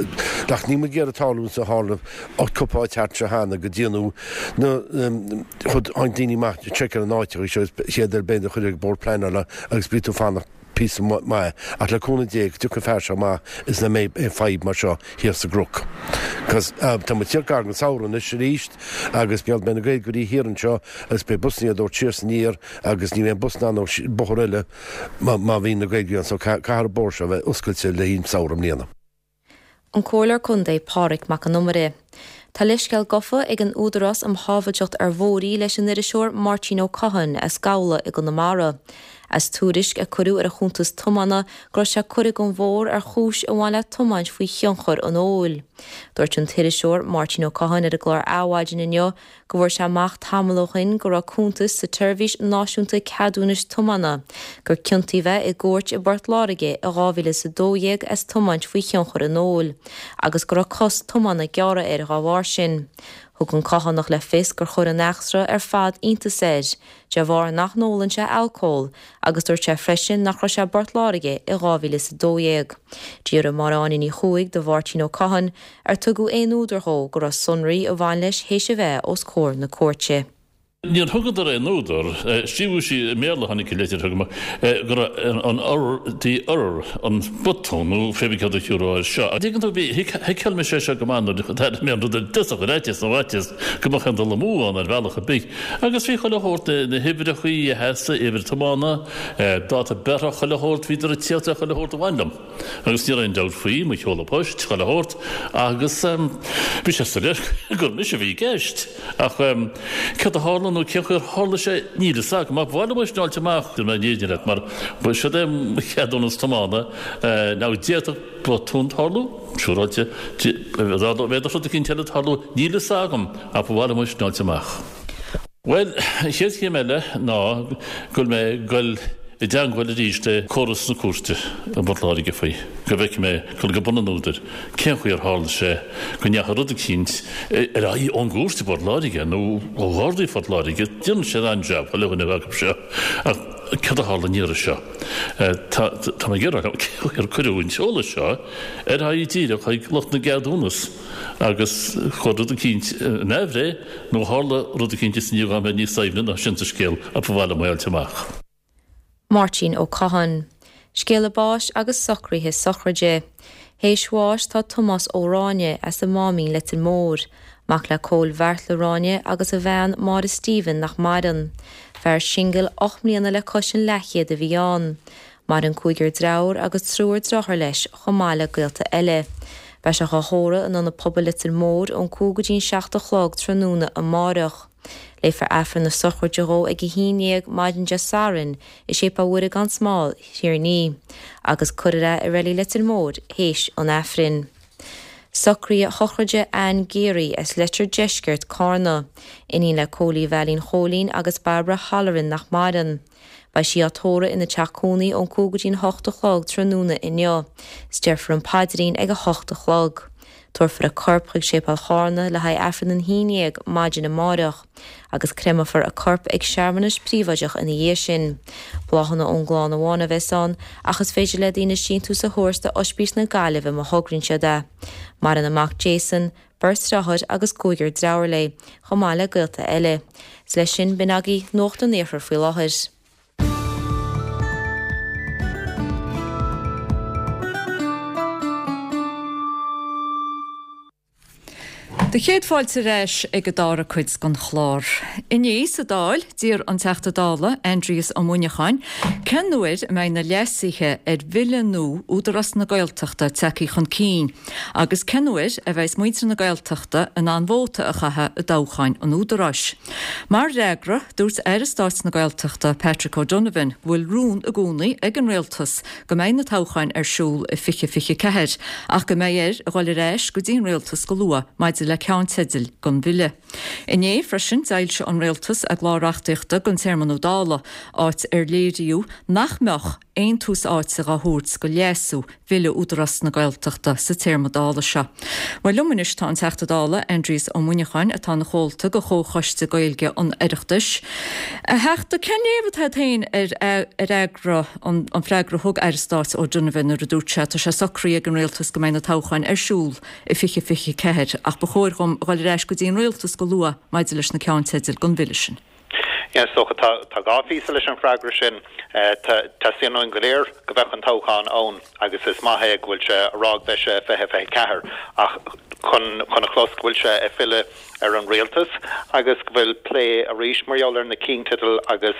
Ach níl muid ag iarraidh tarlú a tharla cúpla áit thart anseo cheana go déanadh na chud tháinig daoine amach ag seiceáil an áit seo chéad ar b'fhéidir a chuir ag Bord Pleanála agus bhí tú fanacht píosa maith, ach le cúnamh Dé go dtiocfaidh an fear seo amach is nach mbeidh aon fadhb mar seo thiar sa gCnoc. Cos tá muid ag teacht gar don samhradh anois arís agus beidh na Gaeilgeoirí thiar anseo agus beidh busanna á dtabhairt siar is aniar agus ní bheidh aon bus in ann ó bóthar eile má bhíonn na Gaeilgeoirí ann so caithfidh an bóthar seo a bheith oscailte le haghaidh an samhradh i mbliana. An Comhairleoir Contae Pádraig Mac Con Iomaire. Tá leithscéal gofa ag an Údarás um Shábhailteacht ar Bhóithre leis an iriseoir Máirtín Ó Catháin as Gabhla i gConamara, as tuairisc a cuireadh ar a chuntas tiomána go raibh sé curtha den bhóthar ar chúis a bhain le tiomáint faoi thionchar an óil. Dúirt an t-iriseoir Máirtín Ó Catháin ar an gclár Adhmhaidin inniu go bhfuair sé amach tamall ó shin go raibh cuntas sa tSeirbhís Náisiúnta Ceadúnais Tiomána gur ciontaíodh é i gcúirt i bPort Láirge i 2012 as tiomáint faoi thionchar an óil agus go raibh cos tiomána gearrtha air dhá bharr sin. Thug an Cathánach le fios gur chuir an eachtra ar fad iontas air, de bharr nach n-ólann sé alcól, agus dúirt sé freisin nach raibh sé i bPort Láirge i 2012. D'fhiafraigh Máire Áine Ní Chuaig de Mháirtín Ó Catháin ar tugadh aon údar dhó go raibh sonraí a bhain leis théis a bheith os comhair na cúirte. Níor thugadar aon údar. Scríobhadh sí i mBéarla, tháinig an litir chugam, go raibh an error, the error, an botún nó pé bith céard a thiúrfá air seo. An dtuigeann tú, bhí, thuigfeadh mise é seo go maith nuair a d'airigh mé an rud ar dtosach, ar fhaitíos nó fhaitíos go mbeadh aon dul amú ann ar bhealach ar bith. Agus bhí chuile shórt, na huimhreachaí a theastaigh, uimhir tiomána, dáta breithe, chuile shórt, bhíodar ag tíocht le chuile shórt a bhain liom. Agus ní raibh aon dabht faoi, mo sheoladh poist, chuile shórt, agus bhí sé soiléir gur mise a bhí i gceist. Ach céard a tharla nó cén chaoi ar tharla sé, níl fhios agam. Ach ba mhaith liom é sin a fháilt amach, déarfaidh mé an fhírinne leat, mar siod é mo cheadúnas tiomána. Now d'fhéadfadh botún tarlú, siúráilte, d'fhéadfadh rud eicínt eile tarlú, níl fhios agam, ach ba mhaith liom é sin a fháilt amach. Bhuel, an chéad chéim eile ná go bhfuil mé ag goil i dteangmháil arís le córas na cúirte i bPort Láirge faoi, go bhfeicfidh mé, dul go bun an údair, cén chaoi ar tharla sé go ndeachaigh rud eicínt ar aghaidh ón gcúirt i bPort Láirge nó ó Ghardaí Phort Láirge. Déanann siad an-jab, chuile dhuine acu seo, ach céard a tharla an iarraidh seo? Tá, tá mé ag iarraidh a fháil cén chaoi ar cuireadh an t-eolas seo ar aghaidh díreach chuig lucht na gceadúnas agus chuir rud eicínt in aimhréidh nó tharla rud eicínt is i ndiaidh dhom bheith níos doimhne ná sin sa scéal ach ba mhaith liom é a fháilt amach. Máirtín Ó Catháin. Scéala báis agus socruithe sochraide. Théis bháis tá Tomás Ó Ráinne as an Máimín Leitir Móir, mac le Cóil Bheartla Ráinne agus a bhean Máire Stephen nach maireann. Fear singil 8 mbliana le cois an leathchéad a bhí ann. Maireann cúigear dreabhar agus triúr driotháir leis chomh maith le gaolta eile. Beidh sé dhá thórramh in Ionad Pobail Leitir Móir ón 5 go dtí an 7 a chlog tráthnóna amáireach. Léifear Aifreann na sochraide dhó ag 11 maidin Dé Sathairn i Séipéal Mhuire gan Smál, Thír an Fhia, agus cuirfear é i Reilig Leitir Móir théis an Aifrinn. Socruithe sochraide Anne Geary as Leitir Deiscirt, Cárna, iníon le Cóilí Veailín Chóilín agus Barbara Holleran nach maireann. Beidh sí á tórramh ina teach cónaí ón 5 go dtí'n 8 a chlog tráthnóna inniu. Is déarfar an paidrín ag 8 a chlog. Tabharfar a corp chuig Séipéal Chárna le haghaidh Aifreann an haon dhéag maidin amáireach, agus créamfar a corp ag searmanas príobháideach ina dhiaidh sin. Bláthanna ón gclann amháin a bheas ann, ach is féidir le daoine síntiús a thabhairt do Oispís na Gaillimhe má thograíonn siad é. Maireann a mac Jason, beirt deartháir agus cúigear deirfiúr léi, chomh maith le gaolta eile. Is leis sin, b'in agaibh Nuacht an Iarthair faoi láthair. Do chéad fáilte ar ais ag an dara cuid den chlár. Inné sa Dáil, d'iarr an Teachta Dála, Aindrias Ó Muineacháin, cén uair a mbeidh na leasuithe ar bhille nua Údarás na Gaeltachta tagtha chun cinn agus cén uair a bheas muintir na Gaeltachta in ann vóta a chaitheamh i dtoghcháin an Údaráis. Mar fhreagra, dúirt Aire Stáit na Gaeltachta, Patrick O'Donovan, go bhfuil rún i gcónaí ag an Rialtas go mbeidh na toghcháin ar siúl i 2024 ach go mbeidh air a dhul ar ais go dtí an Rialtas go luath maidir le ceannteidil don bhille. Inné freisin d'fhoilsigh an Rialtas a gclár reachtaíochta don téarma nua Dála, áit ar léiríodh nach mbeadh aon tús áite dhá thabhairt do leasú Bhille Údarás na Gaeltachta sa téarma Dála seo. Bhuel, liom anois tá an Teachta Dála, Aindrias Ó Muineacháin, atá ina chomhalta de Chomhchoiste Gaeilge an Oireachtais. A Theachta, cén léamh atá agat féin ar fhreagra, an freagra a thug Aire Stáit O'Donovan nuair a dúirt sé, tá sé socraithe ag an Rialtas go mbeidh na toghcháin ar siúl i 2024 ach ba chóir dhom a dhul ar ais go dtí an Rialtas go luath maidir leis na ceannteidil don bhille sin. Yeah, is dócha, tá dhá phíosa leis an bhfreagra sin. Teastaíonn uainn go léir go mbeadh an toghchán ann agus is maith é go bhfuil sé a rá go mbeidh sé i 2024 ach chun chun a chlos go bhfuil sé ag filleadh ar an rialtas agus go bhfuil plé arís mar gheall ar na cinnteidil agus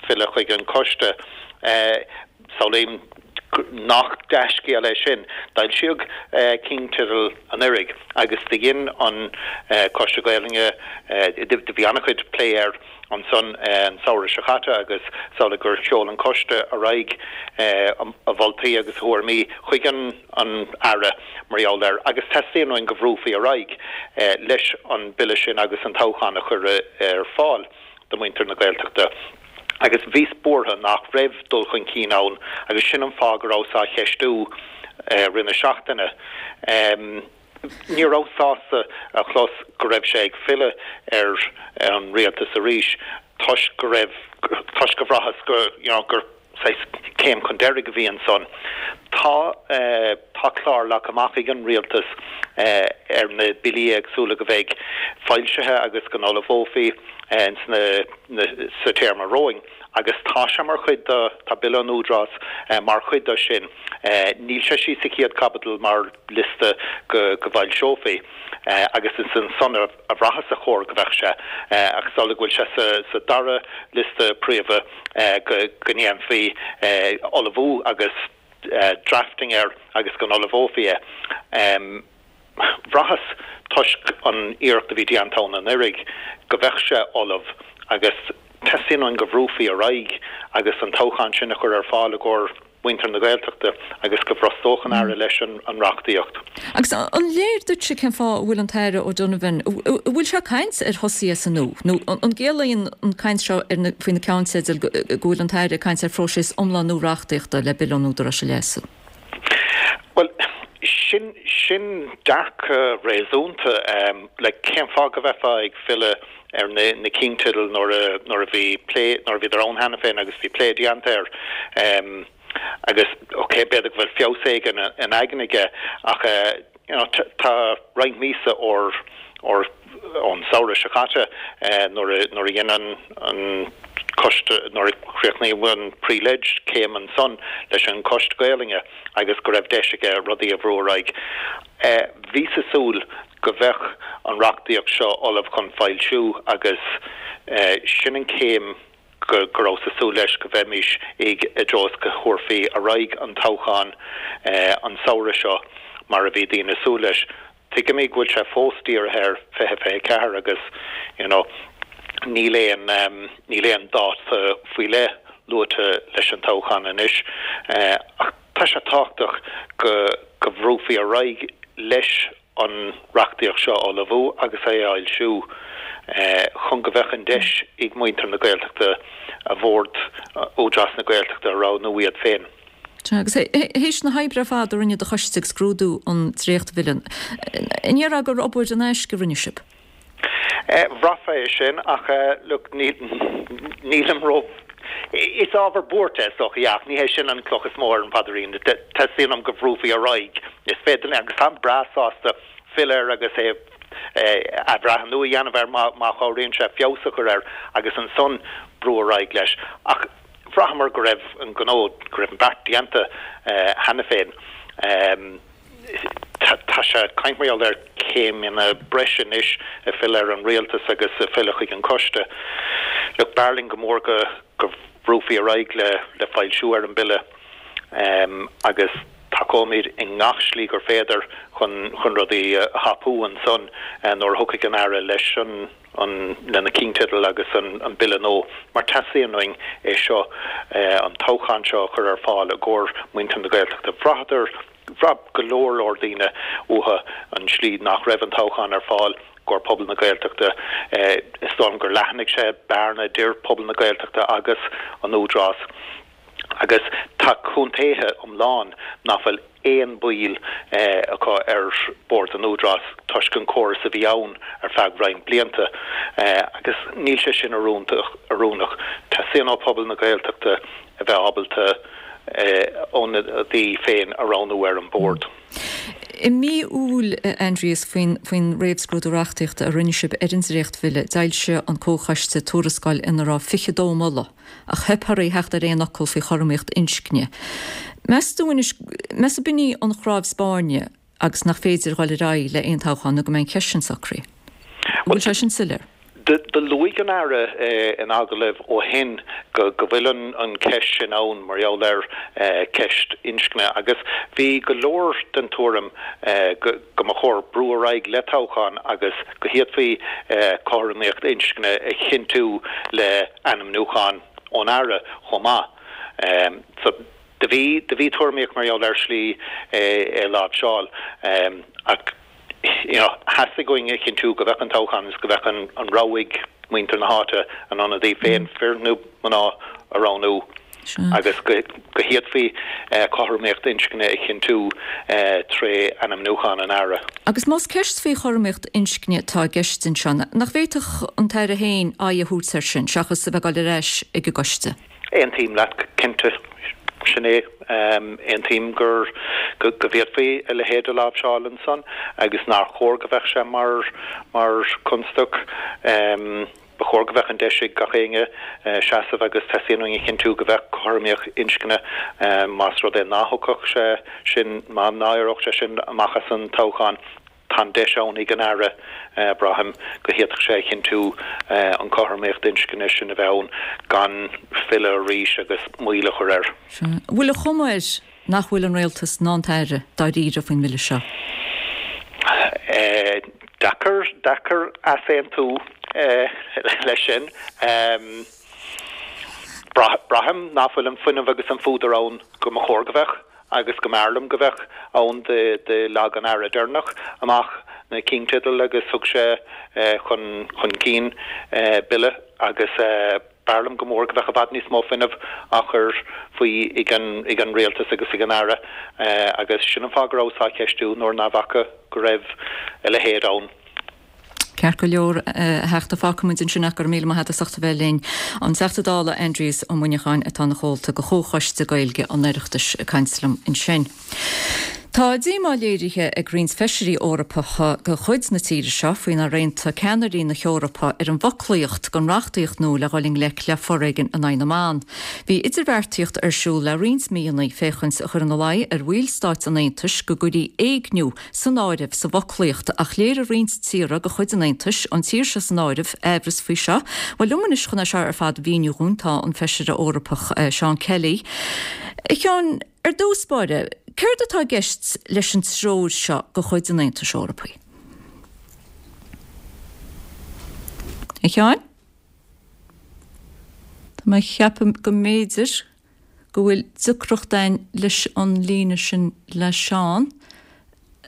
filleadh chuig an coiste. Samhlaím nach dea-scéal é sin. D'fhoilsíodh cinnteidil anuraidh agus do dhein an Coiste Gaelainne, do bhí an-chuid plé air ansan an samhradh seo caite agus samhlaigh gur sheol an Coiste ar aghaidh a mholtaí agus a thuairimí chuig an Aire mar gheall air agus teastaíonn uainn go bhrúfaí ar aghaidh leis an bille sin agus an toghchán a chur ar fáil do mhuintir na Gaeltachta. agus bhíos buartha nach raibh dul chun cinn ann agus sin an fáth go rabhas á cheistiú rith na seachtaine. Ní rabhas sásta a chlos go raibh sé ag filleadh ar an rialtas arís toisc go raibh, toisc go bhraitheas go, you know, gur saghas céim chun deiridh a bhí ansan. Tá, tá clár leagtha amach ag an rialtas ar na billí éagsúla go bheidh foilsithe agus go n-ullmhófaí ins na, sa téarma romhainn agus tá sé mar chuid de, tá Bille an Údarás mar chuid de sin. Níl sé síos sa chéad chaibidil mar liosta go bhfoilseofaí agus is ansan a bhraitheas a chóir go bheadh sé ach is amhlaidh go bhfuil sé sa dara liosta príomha go ndéanfaí ullmhú agus drafting air agus go n-ullmhófaí é. Bhraitheas, toisc an iarracht a bhí déanta ann anuraidh, go bheadh sé ullamh agus teastaíonn uainn go bhrúfaí ar aghaidh agus an toghchán sin a chur ar fáil i gcomhair mhuintir na Gaeltachta agus go bhrostódh an Aire leis an reachtaíocht. Agus an léir duitse cén fáth a bhfuil an tAire O'Donovan, an bhfuil sé ag caint ar thosaí as an nua nó an gciallaíonn an caint seo faoi na ceannteidil go bhfuil an tAire ag caint ar phróiseas iomlán nua reachtaíochta le Bille an Údaráis a leasú? Bhuel, sin, sin dearcadh réasúnta. Like, cén fáth go mbeifeá ag filleadh ar na, na cinnteidil nuair a, nuair a bhí plé, nuair a bhíodar ann cheana féin agus bhí plé déanta air. Agus, ok, b'fhéidir go bhfuil feabhas éigin in aigne aige ach, you know, tá roinnt míosa ór, ór, ón samhradh seo caite nuair a, nuair a dhein an, an coiste, nuair a chríochnaíodh an pre-leg céim ansan leis an Choiste Gaelainne agus go raibh deis aige rudaí a bhrú ar aghaidh. Bhíos ag súil go bheadh an reachtaíocht seo ullamh chun foilsiú agus sin an céim go rabhas ag súil leis go bheimis ag i dtreo is go thabharfaí ar aghaidh an toghchán an samhradh seo mar a bhí daoine ag súil leis. Tuigimid go bhfuil sé fós dírithe ar 2024 agus you know níl aon níl aon dáta faoi leith luaite leis an toghchán anois ach tá sé tábhachtach go go bhrúfaí ar aghaidh leis. an reachtaíocht seo a ullmhú agus é a fhoilsiú chun go bheadh an deis ag muintir na Gaeltachta a bhord Údarás na Gaeltachta a roghnú iad féin. Sea, agus théis na hoibre ar fad a rinne do choiste ag scrúdú an dréachtbhille, an ndéarfá gur obair in aisce a rinne sibh? Bhraithfeá é sin ach look, nílim ró, is ábhar buartha é is dócha, yeah, ach ní hé sin an cloch is mó ar an bpaidirín. Teastaíonn uaim go bhrúfaí ar aghaidh. Is féidir linn, agus táim breá sásta filleadh air agus é athbhreithniú a dhéanamh air má chabhraíonn sé feabhas a chur air agus ansan brú ar aghaidh leis. Ach bhraitheamar go raibh an gnó, go raibh an beart déanta cheana féin. Tá sé ag caint mar gheall ar céimeanna breise anois ag filleadh ar an rialtas agus ag filleadh chuig an coiste. Look, b'fhearr linn go mór go mbrúfaí ar aghaidh le foilsiú ar an bille agus tacóimid i ngach slí gur féidir chun rudaí a thapú ansan nuair a thiocfaidh an Aire leis an an lena chinnteidil agus an Bille nua, mar teastaíonn uainn é seo, an toghchán seo a chur ar fáil i gcomhair muintir na Gaeltachta. Bhraitheadar, bhraith go leor leor daoine uathu an slí nach raibh an toghchán ar fáil i gcomhair pobal na Gaeltachta. Is dóigh liom gur leathnaigh sé bearna idir pobal na Gaeltachta agus an Údarás. Agus tá contaetha iomlán nach bhfuil aon baill acu ar Bhord an Údaráis toisc an córas a bhí ann ar feadh roinnt blianta. Agus níl sé sin oiriúnach. Teastaíonn ó phobal na Gaeltachta a bheith ábalta a n-ionadaí féin a roghnú ar an Bhord. I mí Iúil, a Aindrias, faoin réamhscrúdú reachtaíochta a rinne sibh ar an dréachtbhille, d'fhoilsigh an Comhchoiste tuarascáil ina raibh 22 moladh. Ach theip oraibh theacht ar aon fhocal faoi chothromaíocht inscne. Meas tú anois, meas tú b'in í an chnámh spairne agus nach féidir dhul ar aghaidh le aon toghchán nó go mbeidh an cheist sin socraithe? An bhfuil sé sin soiléir? Do luaigh an Aire in agallaimh ó shin go bhfuil an cheist sin ann mar gheall ar cheist inscne agus bhí go leor den tuairim go mba chóir brú ar aghaidh le toghchán agus go bhféadfaí cothromaíocht inscne a chinntiú le ainmniúchán ón Aire chomh maith. So do bhí, do bhí tuairimíocht mar gheall ar shlí é a láimhseáil ach you know theastaigh uainn a chinntiú go bheadh an toghchán agus go bheadh an rogha ag muintir na háite a n-ionadaí féin, fir nó mná, a roghnú. agus go bhféadfaí cothromaíocht inscne a chinntiú tré ainmniúchán an Aire. Agus más ceist faoi chothromaíocht inscne atá i gceist anseo, nach bhféadfadh an tAire féin aghaidh a thabhairt air sin, seachas a bheith ag dul ar ais ag an gcoiste? Aontaím leat, cinnte. Sin é. Aontaím gur, go bhféadfaí a leithéid a láimhseáil ansan agus nár chóir go bheadh sé mar, mar chonstaic. Ba chóir go bheadh an deis ag gach éinne seasamh agus teastaíonn uainn a chinntiú go bheadh cothromaíocht inscne más rud é ná thiocfadh sé sin, má ná éireodh sé sin amach as an toghchán. Tá an deis ann ag an Aire, braithim, go bhféadfadh sé a chinntiú an cothromaíocht inscne sin a bheith ann gan filleadh arís agus moill a chur air. An bhfuil an chuma air nach bhfuil an Rialtas ná an tAire dáiríre faoin mBille seo. Deacair, deacair easaontú leis sin. Braithim nach bhfuil an fuinneamh agus an fuadar ann go mba chóir go bheadh agus go mb'fhearr liom go bheadh ann. Do leag an Aire deireanach amach na cinnteidil agus thug sé chun chun cinn bille agus B'fhearr liom go mór go bheadh i bhfad níos mó fuinnimh á chur faoi ag an Rialtas agus ag an Aire agus sin an fáth go rabhas á cheistiú nuair ná bhfaca go raibh a leithéid ann. Ceart go leor, a Theachta, fágfaimid ansin ach go raibh míle maith agat as ucht a bheith linn. An Teachta Dála Aindrias Ó Muineacháin atá ina chomhalta de Chomhchoiste Gaeilge an Oireachtais ag caint liom ansin. Tá díomá léirithe ag roinnt feisirí Eorpacha de chuid na tíre seo faoi nár aontaigh ceannairí na hEorpa ar an bhfoclaíocht don reachtaíocht nua le dhul i ngleic le foréigean in aghaidh na mban. Bhí idirbheartaíocht ar siúl le roinnt míonna féachaint a chur ina luí ar bhallstáit an Aontais go gcuirfí éigniú san áireamh sa bhfoclaíocht ach léirigh roinnt tíortha de chuid an Aontais, an tír seo san áireamh, aimhreas faoi seo. Bhuel, liom anois chun é seo ar fad a mhíniú dhúinn tá an Feisire Eorpach Seán Kelly. A Sheáin, Ar dtús báire, céard atá i gceist leis an treoir seo de chuid an Aontais Eorpaigh? A Sheáin? Tá mé ag ceapadh go mb'fhéidir go bhfuil deacracht againn leis an líne sin le Seán.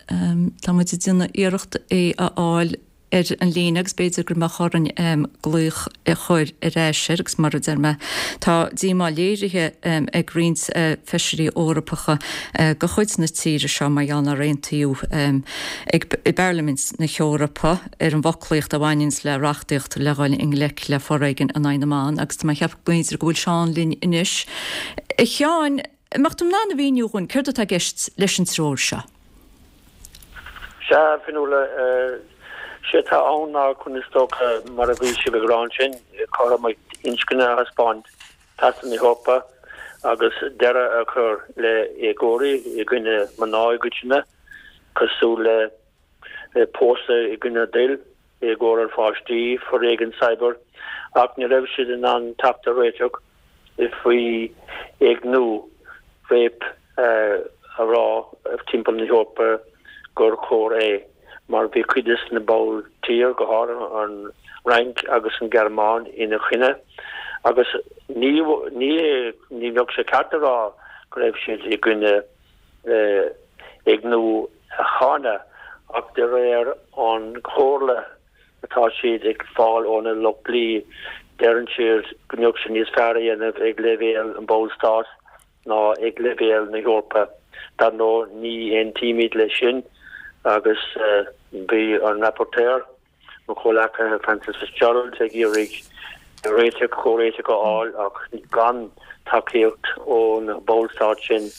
Tá muid ag déanamh iarracht é a fháil ar an líne agus b'fhéidir go mbeadh orainn glaoch a chur ar ais air agus mar a deir mé, tá díomá léirithe ag roinnt feisirí Eorpacha de chuid na tíre seo mar gheall nár aontaíodh ag i bParlaimint na hEorpa ar an bhfoclaíocht a bhaineanns le reachtaíocht le dhul i ngleic le foréigean in aghaidh na mban agus tá mé ag ceapadh go mb'fhéidir go bhfuil Seán linn anois. A Sheáin, An mbeadh tú in ann a mhíniú dhúinn céard atá i gceist leis an treoir seo? Sea, a Fionnuala, sé atá ann ná chun is dócha, mar a bhí sibh ag rá ansin, cothromaíocht inscne a thaispeáint trasna na hEorpa agus deireadh a chur le éagóirí i gcoinne mná i gcoitinne, cosúil le pósadh i gcoinne a dtoil, éagóir ar pháistí, foréigean cyber, ach ní raibh siad in ann teacht ar réiteach faoi éigniú, rape, a rá timpeall na hEorpa gur coir é, mar bhí cuid des na ball tír, go háirithe an Fhrainc agus an Ghearmáin ina choinne, agus ní ní ní bheadh sé ceart a rá go raibh siad i gcoinne éigniú a cháineadh ach de réir an chomhairle atá siad ag fáil óna lucht dlí, deireann siad go mbeadh sé níos fearr a dhéanamh ag leibhéal an bhallstáit ná ag leibhéal na hEorpa. Dar ndóigh, ní aontaímid leis sin agus bhí an rapporteur, Mo chomhleacaithe Frances Fitzgerald ag iarraidh réiteach, comhréiteach a fháil ach gan tacaíocht ó na ballstáit sin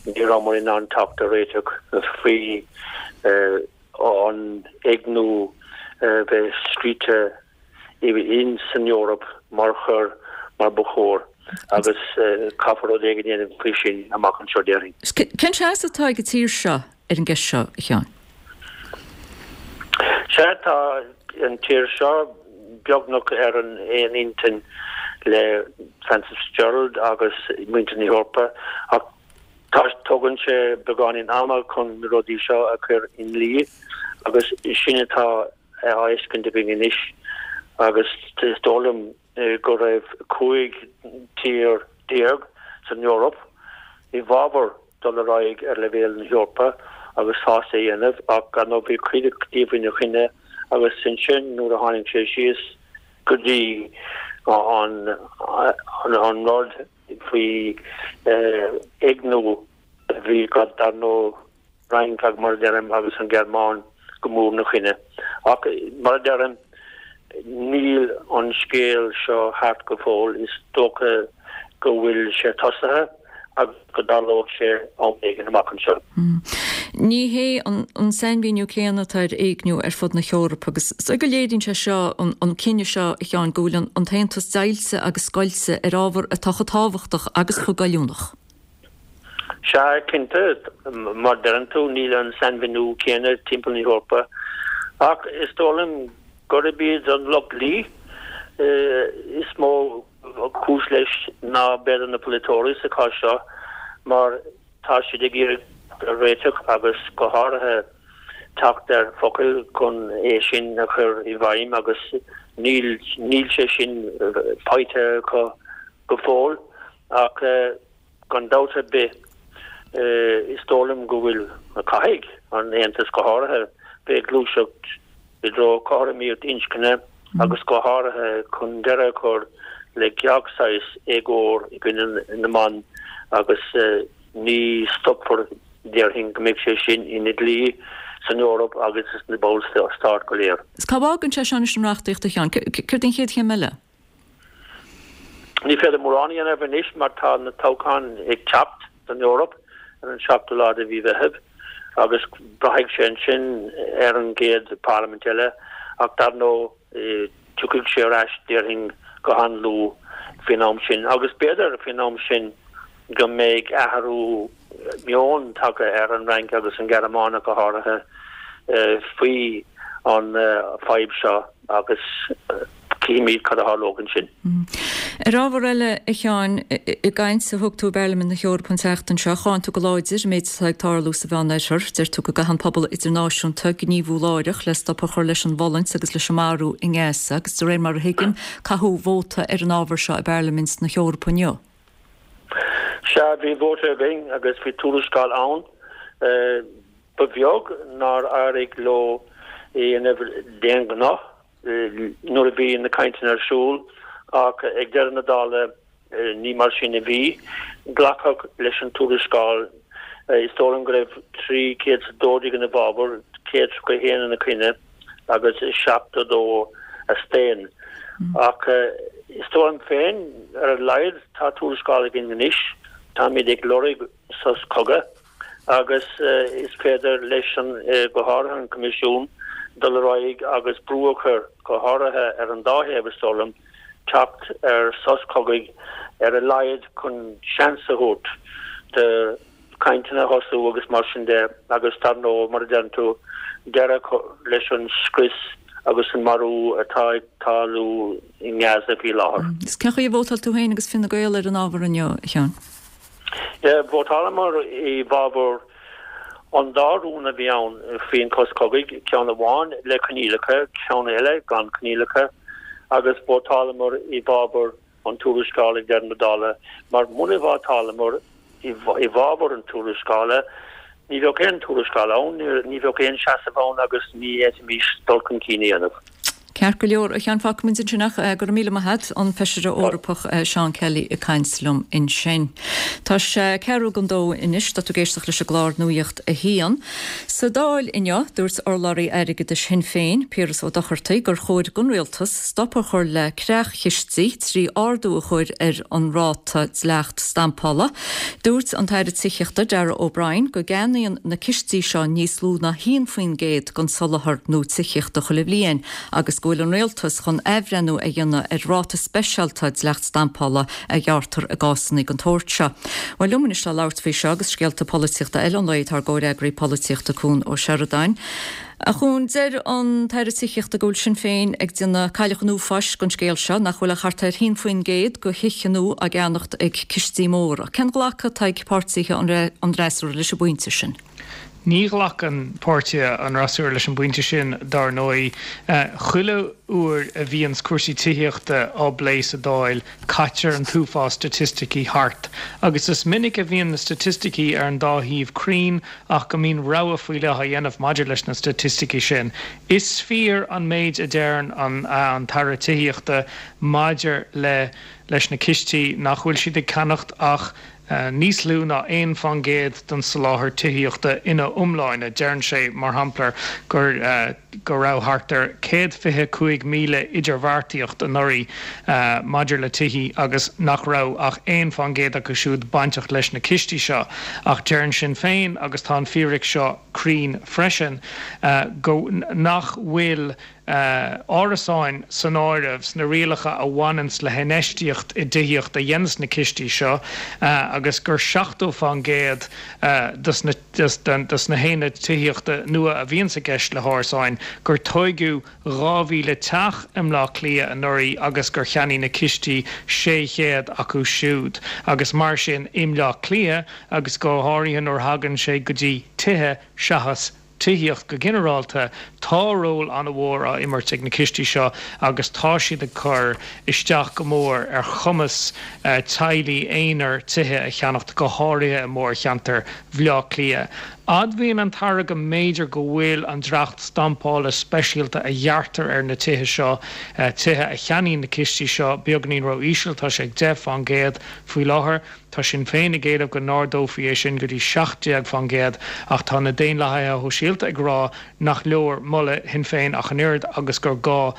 ní rabhamar in ann teacht ar réiteach faoi an éigniú bheith scríte in san Eoraip mar choir mar ba chóir agus caithfear rud éigin a dhéanamh faoi sin amach anseo déarfainn. Cén seasamh atá ag an tír seo ar an gceist seo, a Sheáin? Sea, tá an tír seo beagnach ar an aon intinn le Frances Fitzgerald agus muintir na hEorpa ach tá, tógann sé beagáinín ama chun na rudaí seo a chur i ndlí agus sin atá á fheiscint againn anois agus is dóigh liom go raibh 15 tír san Eoraip i bhfabhar dul ar aghaidh ar leibhéal na hEorpa agus sásta é a dhéanamh ach dar ndóigh bhí cuid díobh ina choinne agus ansin nuair a tháinig sé síos go dtí an an rud faoi éigniú bhí dar ndóigh Fhrainc ach mar a deirim agus an Ghearmáin go mór ina choinne. Ach mar a deirim níl an scéal seo thart go fóill, is dócha go bhfuil sé tosaithe agus go dtarlóidh sé am éigin amach anseo. Ní hé an sainmhíniú céanna atá ar éigniú ar fud na hEorpa agus is dóigh go léiríonn sé seo, an cinneadh seo, a Sheáin, go bhfuil an tAontas deighilte agus scoilte ar ábhar atá chomh tábhachtach agus chomh goilliúnach. Sea, cinnte, mar deireann tú, níl an sainmhíniú céanna timpeall na hEorpa, ach is dóigh liom gurb iad an lucht dlí is mó cúis leis ná b'fhéidir na polaiteoirí sa chás seo, mar tá siad ag iarraidh réiteach agus go háirithe teacht ar focail chun é sin a chur i bhfeidhm agus níl níl sé sin faighte acu go fóill ach Gan dabht ar bith, is dóigh liom go bhfuil, caithfidh an Aontas go háirithe, bheith ag gluaiseacht i dtreo cothromaíocht inscne agus go háirithe chun deireadh a chur le gach saghas éagóir i gcoinne na mban agus ní stopfar, déarfainn, go mbeidh sé sin ina dhlí san Eoraip agus sna ballstáit go léir. Cá bhfágann sé seo anois an reachtaíocht, a Sheáin? Céard é an chéad chéim eile? Ní féidir mórán a dhéanamh anois mar tá na toghcháin ag teacht don Eoraip ar an seachtú lá de mhí Mheithimh agus braithfidh sé ansin ar an gcéad parlaimint eile ach dar ndóigh tiocfaidh sé ar ais déarfainn go han-luath faoin am sin agus b'fhéidir faoin am sin go mbeidh athrú meoin tagtha ar an Fhrainc agus an Ghearmáin go háirithe faoi an fadhb seo agus cífimid cad a tharlóidh ansin. Ar ábhar eile, a Sheáin, i gcaint a thug tú i bParlaimint na hEorpa an tseachtain seo, cháin tú go láidir an méid atá ag tarlú sa Mheánoirthear. Deir tú go gcaithfidh an pobal idirnáisiúnta gníomhú láithreach le stop a chur leis an bhfulaingt agus leis an marú i nGaza agus de réir mar a thuigim, caitheadh vóta ar an ábhar seo i bParlaimint na hEorpa inniu. Sea, bhí vóta againn agus bhí tuarascáil ann. Ba bheag nár éirigh leo é a dhéanamh d'aon ghnó nuair a bhí na cainteanna ar siúl ach ag deireadh na dála ní mar sin a bhí. Glacadh leis an tuarascáil. Is dóigh liom go raibh 312 ina bhfabhar, 131 ina coinne agus 72 a staon. Ach is dóigh liom féin, ar a laghad tá tuarascáil againn anois. Táimid ag lorg sos cogaidh. agus is féidir leis an, go háirithe an Coimisiún, dul ar aghaidh agus brú a chur, go háirithe ar an dá thaobh, is dóigh liom, teacht ar sos cogaidh ar a laghad chun seans a thabhairt do chainteanna a thosú agus mar sin de agus dar ndóigh, mar a deireann tú, deireadh a chur leis an scrios agus an marú atá ag tarlú i nGaza faoi láthair. Agus cén chaoi a vótáil tú féin agus Fine Gael ar an ábhar inniu, a Sheáin? Vótálamar i bhfabhar an dá rún a bhí ann faoin shos cogaidh, ceann amháin le coinníollacha, ceann eile gan coinníollacha, agus vótálamar i bhfabhar an tuarascáil ag deireadh na dála, mar muna vótálamar i bhfabhar an tuarascála, ní bheadh aon tuarascáil ann, ní bheadh aon seasamh ann agus ní fhéadfaimis dul chun cinn a dhéanamh. Ceart go leor, a Sheáin, fágfaimid ansin ach go raibh míle maith a't, an Feisire Eorpach Seán Kelly ag caint liom ansin. Tá sé ceathrú don dó anois, tá tú ag éisteacht leis an gclár Nuacht a hAon. Sa Dáil inniu, dúirt urlabhraí airgeadais Shinn Féin, Piaras Ó Dochartaigh, gur chóir don Rialtas stop a chur le creach-chistí trí ardú a chur ar an ráta dleacht stampála. Dúirt an tAire Tithíochta, Darragh O'Brien, go gceannaíonn na cistí seo níos lú ná 1% den soláthar nua tithíochta chuile bhliain agus go bhfuil an Rialtas chun athbhreithniú a dhéanamh ar ráta speisialta dleacht stampála a ghearrtar i gcásanna den tsórt seo. Bhuel, liom anois le labhairt faoi seo agus scéalta polaitíochta eile an lae tá ár gcomhfhreagraí polaitíochta Cuan Ó Seireadáin. A Chuain, deir an tAire Tithíochta go bhfuil Sinn Féin ag déanamh cailleach an uafáis den scéal seo, nach bhfuil ach thart ar 1% de thithe nua á gceannacht ag cistí móra. Cén glacadh atá ag páirtithe an fhreasúra leis an bpointe sin? Ní ghlacann páirtithe an fhreasúra leis an bpointe sin, dar ndóigh. Chuile uair a bhíonns cúrsaí tithíochta á bplé sa Dáil, caitear an t-uafás staitisticí thart. Agus is minic a bhíonn na staitisticí ar an dá thaobh cruinn ach go mbíonn rogha faoi leith á dhéanamh maidir leis na staitisticí sin. Is fíor an méid a deireann an tAire Tithíochta maidir le leis na cistí, nach bhfuil siad ag ceannacht ach níos lú ná 1% den soláthar tithíochta ina iomláine. Deireann sé, mar shampla, gur go raibh thart ar 125,000 idirbheartaíocht anuraidh maidir le tithí agus nach raibh ach 1% acu siúd bainteach leis na cistí seo. Ach deireann Sinn Féin, agus tá an fíric seo cruinn freisin, go nach bhfuil árasáin san áireamh sna rialacha a bhaineanns le hinfheistíocht i dtithíocht a dhéanas na cistí seo agus gur 70% dos na dos na haonaid tithíochta nua a bhíonns i gceist le hárasáin, gur tóigeadh 2,000 teach i mBleá Cliath anuraidh agus gur cheannaigh na cistí 600 acu siúd. Agus mar sin i mBleá Cliath, agus go háirithe nuair a thagann sé go dtí tithe seachas tithíocht go ginearálta, tá ról an-mhór á imirt ag na cistí seo agus tá siad ag cur isteach go mór ar chumas teaghlaigh aonair tithe a cheannacht, go háirithe i mórcheantar Bhaile Átha Cliath. Admhaíonn an tAire go mb'fhéidir go bhfuil an dleacht stampála speisialta a ghearrtar ar na tithe seo, tithe a cheannaíonn na cistí seo, beagáinín ró-íseal, tá sé ag 10% faoi láthair. Tá Sinn Féin ag éileamh go n-ardófaí é sin go dtí 17% ach tá na Daonlathaithe Shóisialta ag rá nach leor moladh Shinn Féin ach an oiread agus gur gá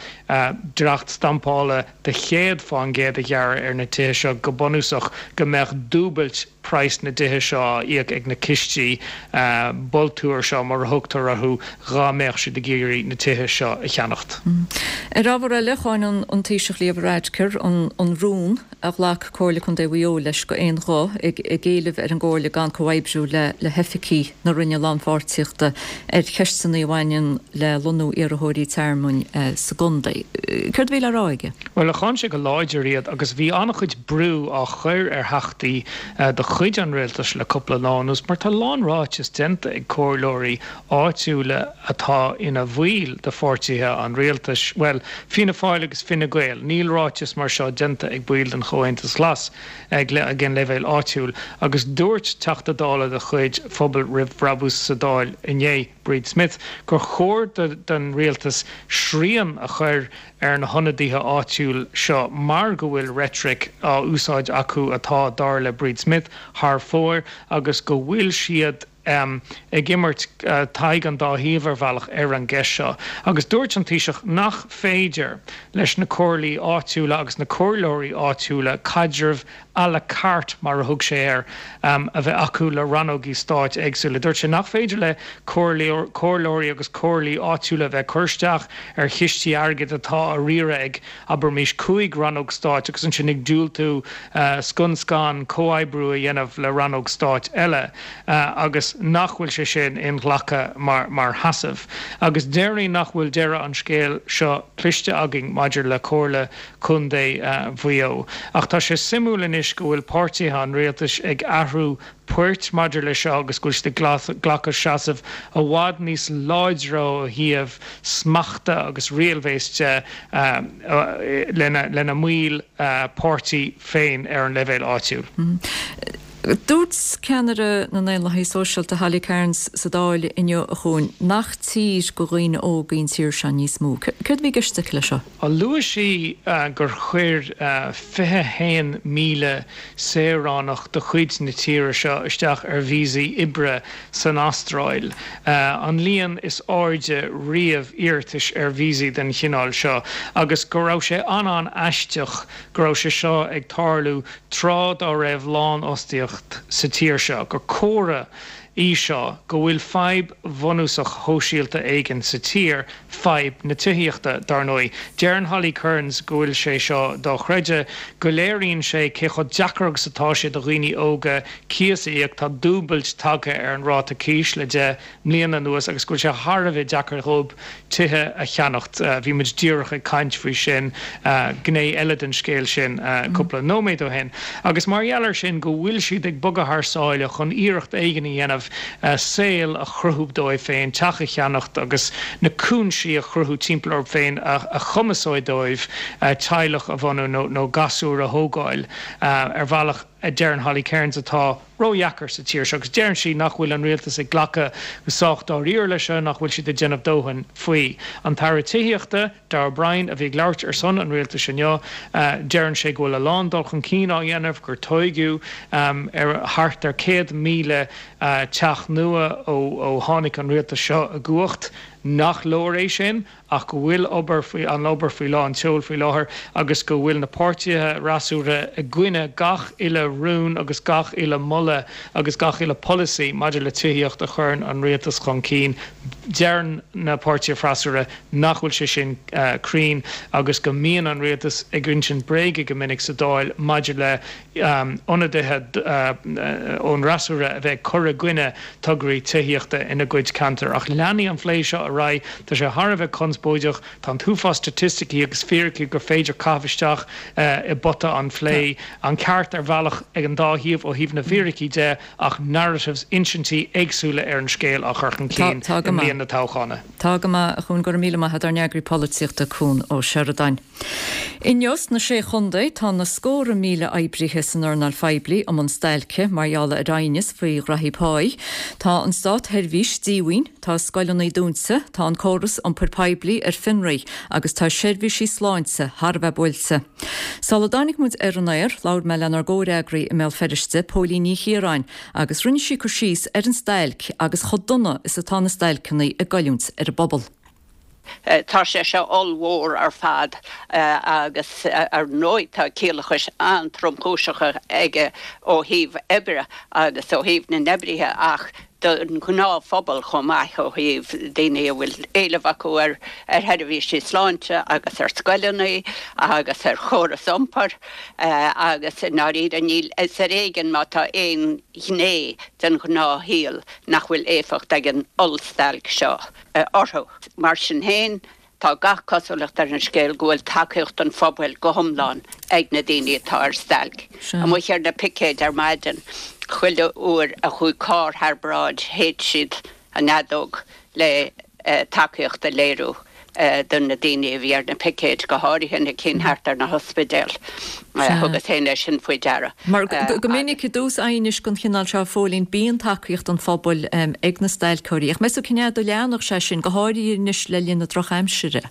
dleacht stampála de 100% a ghearradh ar na tithe seo, go bunúsach go mbeadh dúbailt praghas na dtithe seo á íoc ag na cistí bultúir seo, mar a thugtar orthu, dhá mbeadh siad ag iarraidh na tithe seo a cheannacht. Ar ábhar eile, cháin an Taoiseach Leo Varadkar an rún a ghlac Comhairle Contae Mhaigh Eo leis go aon ghuth, ag éileamh ar an gComhairle gan comhoibriú le hoifigigh na Roinne Lánpháirtíochta ar cheisteanna a bhaineann le lonnú iarrthóirí tearmainn sa gcontae. Céard a bhí le rá aige? Bhuel, cháin sé go láidir iad agus bhí an-chuid brú á chur ar theachtaí de chuid an rialtais le cúpla lá anuas mar tá a lán ráiteas déanta. déanta ag comhairleoirí áitiúla atá ina bhaill de pháirtithe an rialtais, bhuel, Fianna Fáil agus Fine Gael, níl ráiteas mar seo déanta ag baill den Chomhaontas Glas ag an leibhéal áitiúil. Agus dúirt Teachta Dála de chuid Phobal Roimh Bhrabús sa Dáil inné, Bríd Smith, gur chóir don rialtas srian a chur ar na hionadaithe áitiúil seo mar go bhfuil reitric á úsáid acu atá, dar le Bríd Smith, thar fóir agus go bhfuil siad ag imirt Tadhg an dá thaobh ar bhealach ar an gceist seo. Agus dúirt an Taoiseach nach féidir leis na comhairlí áitiúla agus na comhairleoirí áitiúla caidreamh à la carte, mar a thug sé air, a bheith acu le rannógaí stáit éagsúla. Dúirt sé nach féidir le comhairleoirí agus comhairlí áitiúla a bheith ag cur isteach ar chistí airgid atá á riaradh ag, abraimis, 5 rannóg stáit agus ansin ag diúltú scun scan comhoibriú a dhéanamh le rannóg stáit eile agus nach bhfuil sé sin inghlactha mar sheasamh. Agus déarfainn nach bhfuil deireadh an scéil seo cloiste againn maidir le Comhairle Contae Mhaigh Eo. Ach tá sé suimiúil anois go bhfuil páirtithe an rialtais ag athrú poirt maidir leis seo agus go bhfuil siad ag glacadh seasamh i bhfad níos láidre ó thaobh smachta agus riailbhéis de lena mbaill páirtí féin ar an leibhéal áitiúil. Dúirt ceannaire na nDaonlathaithe Sóisialta Holly Cairns sa Dáil inniu, a Chuain, nach tír do dhaoine óga í an tír seo níos mó. Céard a bhí i gceist aici leis seo? Luaigh sí gur chuir 21,000 saoránach de chuid na tíre seo isteach ar víosaí oibre san Astráil, an líon is airde riamh iarratais ar víosaí den chineál seo, agus go raibh sé an-an-aisteach go raibh sé seo ag tarlú tráth dá raibh lánfhostaíocht sa tír seo, gur comhartha í seo go bhfuil fadhb bhunúsach shóisialta éigin sa tír, fadhb na tithíochta, dar ndóigh. Deireann Holly Cairns go bhfuil sé seo dochreidte, go léiríonn sé cé chomh deacair agus atá sé do dhaoine óga cíos a íoc, tá dúbailt tagtha ar an ráta cíos le deich mbliana anuas agus go bhfuil sé thar a bheith deacair dhóibh tithe a cheannacht. Bhí muid díreach ag caint faoi sin, gné eile den scéal sin, cúpla nóiméad ó shin. Agus mar gheall air sin go bhfuil siad ag bogadh thar sáile chun iarracht éigin a dhéanamh saol a chruthú dóibh féin, teach a cheannacht agus na cúinsí a chruthú timpeall orthu féin a chumasóidh dóibh teaghlach a bhunú nó gasúir a thógáil ar bhealach a deireann Holly Cairns atá ródheacair sa tír seo agus deireann sí nach bhfuil an rialtas ag glacadh go sách dáiríre leis seo, nach bhfuil siad ag déanamh dóthain faoi. An tAire Tithíochta, Darragh O'Brien, a bhí ag labhairt ar son an rialtais inniu, deireann sé go bhfuil a lán dul chun cinn á dhéanamh, gur tóigeadh ar thart ar 100,000 teach nua ó tháinig an rialtas seo i gcumhacht, nach leor é sin. ach go bhfuil obair faoi an obair faoi lán tseoil faoi láthair agus go bhfuil na páirtithe fhreasúra i gcoinne gach uile rún agus gach uile moladh agus gach uile polasaí maidir le tithíocht a chuireann an rialtas chun cinn. Deireann na páirtithe freasúra nach bhfuil sé sin cruinn agus go mbíonn an rialtas ag insint bréige go minic sa Dáil maidir le ionadaithe ón fhreasúra a bheith ag cur i gcoinne tograí tithíochta ina gcuid ceantar. Ach leanfaidh an phlé seo ar aghaidh. Tá sé thar a bheith conspóideach. Tá an t-uafás staitisticí agus fíricí gur féidir caitheamh isteach i bpota an phlé. An ceart ar bhealach ag an dá thaobh ó thaobh na bhfíricí de ach narratives, insintí éagsúla ar an scéal á chur chun cinn i mbliain na toghchána. Tá go maith, a Chuain. Go raibh míle maith agat, ár n-eagraí polaitíochta, Cuan Ó Seireadáin. Inniu sna Sé Chontae tá na scórtha míle oibrithe san earnáil phoiblí i mbun stailce mar gheall ar aighneas faoi ghraithí páí. Tá an státsheirbhís díomhaoin, tá scoileanna dúnta, tá an córas iompair poiblí ar fionraí agus tá seirbhísí sláinte thar a bheith buailte. Sula dtáinig muid ar an aer, labhair mé lenár gcomhfhreagraí i mBéal Feirste, Póilín Ní Chiaráin, agus rinne sí cur síos ar an stailc agus chomh dona is atá na stailceanna ag goilliúint ar an bpobal. Tá sé seo ollmhór ar fad agus ar ndóigh tá ciallachais an-tromchúiseacha aige ó thaobh oibre agus ó thaobh na n-oibrithe ach don ghnáthphobal chomh maith ó thaobh daoine a bhfuil éileamh acu ar sheirbhísí sláinte agus ar scoileanna agus ar chóras iompair agus i ndáiríre níl, is ar éigean má tá aon ghné den ghnáthshaol nach bhfuil éifeacht ag an ollstailc seo. orthu. Mar sin féin, Tá gach cosúlacht ar an scéal go bhfuil tacaíocht an phobail go hiomlán ag na daoine atá ar stailc. Amuigh ar na picéid ar maidin, chuile uair a chuaigh carr thar bráid shéid siad an fheadóg le tacaíocht a léiriú do na daoine a bhí ar na picéid, go háirithe na cinn thart ar na hospidéil. Thugas féin é sin faoi deara. Mar go minic i dtús aighnis den chineál seo, a Phóilín, bíonn tacaíocht an phobail ag na stailceoirí. Ach meas tú cén fhad a leanfadh sé sin, go háirithe anois le linn na drochaimsire?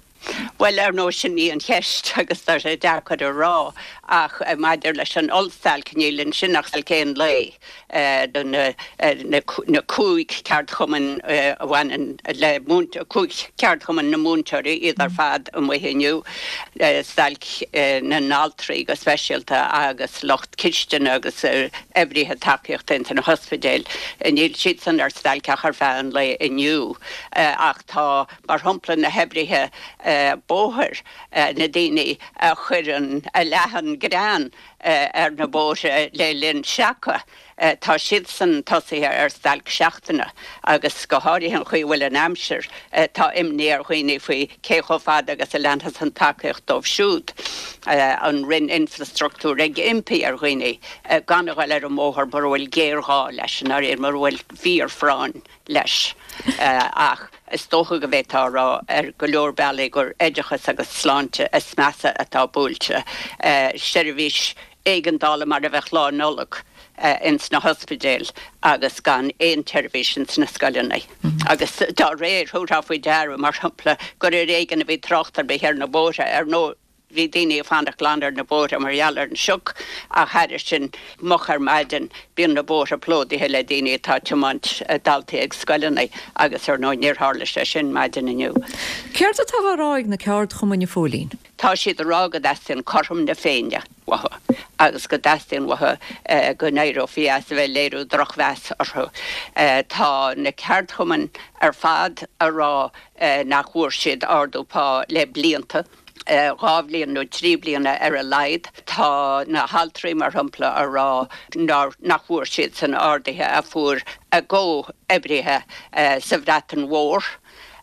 Bhuel, ar ndóigh, sin í an cheist agus tá sé deacair a rá ach maidir leis an ollstailc, níl ansin ach stailc aon lae do na 5 ceardchumann a bhaineann le 5 ceardchumann na múinteoirí, iad ar fad amuigh inniu, stailc na n-altraí go speisialta agus lucht cistine agus oibrithe tacaíochta ins na hospidéil. Níl siadsan ar stailc ach ar feadh an lae inniu ach tá mar shampla na hoibrithe bóthair, na daoine a chuireann, a leathann grean ar na bóithre le linn seaca, tá siadsan tosaithe ar stailc seachtaine agus go háirithe an chaoi a bhfuil an aimsir, tá imní ar dhaoine faoi cé chomh fada agus a leanfas an tacaíocht dóibh siúd. An Roinn Infrastruchtúir ag impí ar dhaoine gan a dhul ar an mbóthar mura bhfuil géarghá leis, i ndáiríre mura bhfuil fíorphráinn. leis. Ach is dócha go bhféadfá a rá ar go leor bealaí gur oideachas agus sláinte is measa atá buailte. Seirbhís éigeandála mar a bheadh Lá Nollag ins na hospidéil agus gan aon tseirbhís ins na scoileanna. Agus dá réir, thabharfá faoi deara, mar shampla, gur ar éigean a bhí trácht ar bith ar na bóithre. Ar ndóigh, Bhí daoine ag fanacht glan ar na bóithre mar gheall ar an sioc ach thairis sin, moch ar maidin, bíonn na bóithre plódaithe le daoine atá ag tiomáint daltaí ag scoileanna agus ar ndóigh níor tharla sé sin maidin inniu. Céard atá á rá ag na ceardchumainn, a Phóilín? Tá siad ag rá go dteastaíonn cothrom na Féinne uathu agus go dteastaíonn uathu go n-éireofaí as a bheith ag léiriú drochmheas orthu. Tá na ceardchumainn ar fad ag rá nach bhfuair siad ardú pá le blianta. 2 bhliain nó 3 bliana ar a laghad. Tá na haltraí, mar shampla, a rá nach bhfuair siadsan arduithe a fuair a gcomhoibrithe sa Bhreatain Mhór.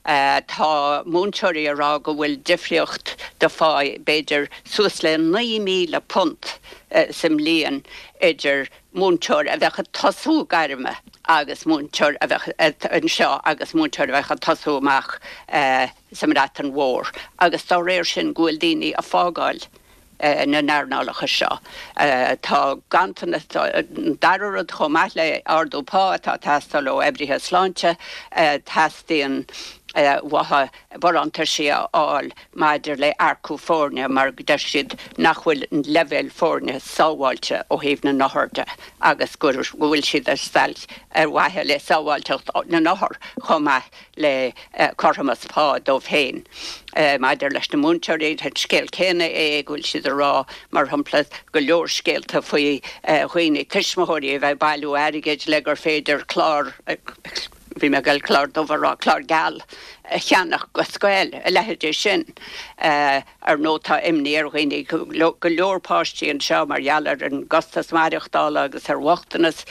Tá múinteoirí a rá go bhfuil difríocht de phá b'fhéidir suas le £9,000 sa mbliain idir múinteoir a bheadh ag tosú gairme agus múinteoir a bheadh anseo agus múinteoir a bheadh ag tosú amach sa mBreatain Mhór agus dá réir sin go bhfuil daoine ag fágáil na n-earnálacha seo. Tá ganntanas, an dara rud chomh maith le ardú pá atá ag teastáil ó oibrithe sláinte, teastaíonn uathu barántaisí a fháil maidir le earcú foirne mar deir siad nach bhfuil an leibhéal foirne sábháilte ó thaobh na n-othar de agus go bhfuil siad ar stailc ar mhaithe le sábháilteacht na n-othar chomh maith le cothromas pá dóibh féin. Maidir leis na múinteoirí, an scéal céanna é go bhfuil siad ag rá, mar shampla, go leor scéalta faoi dhaoine, tuismitheoirí a bheith ag bailiú airgid le gur féidir clár, bhí mé ag goil clár dubh a rá, clár geal a cheannach go scoil, a leithéidí sin. Ar ndóigh tá imní ar dhaoine, go leor páistí anseo mar gheall ar an gcostas maireachtála agus ar bhochtanas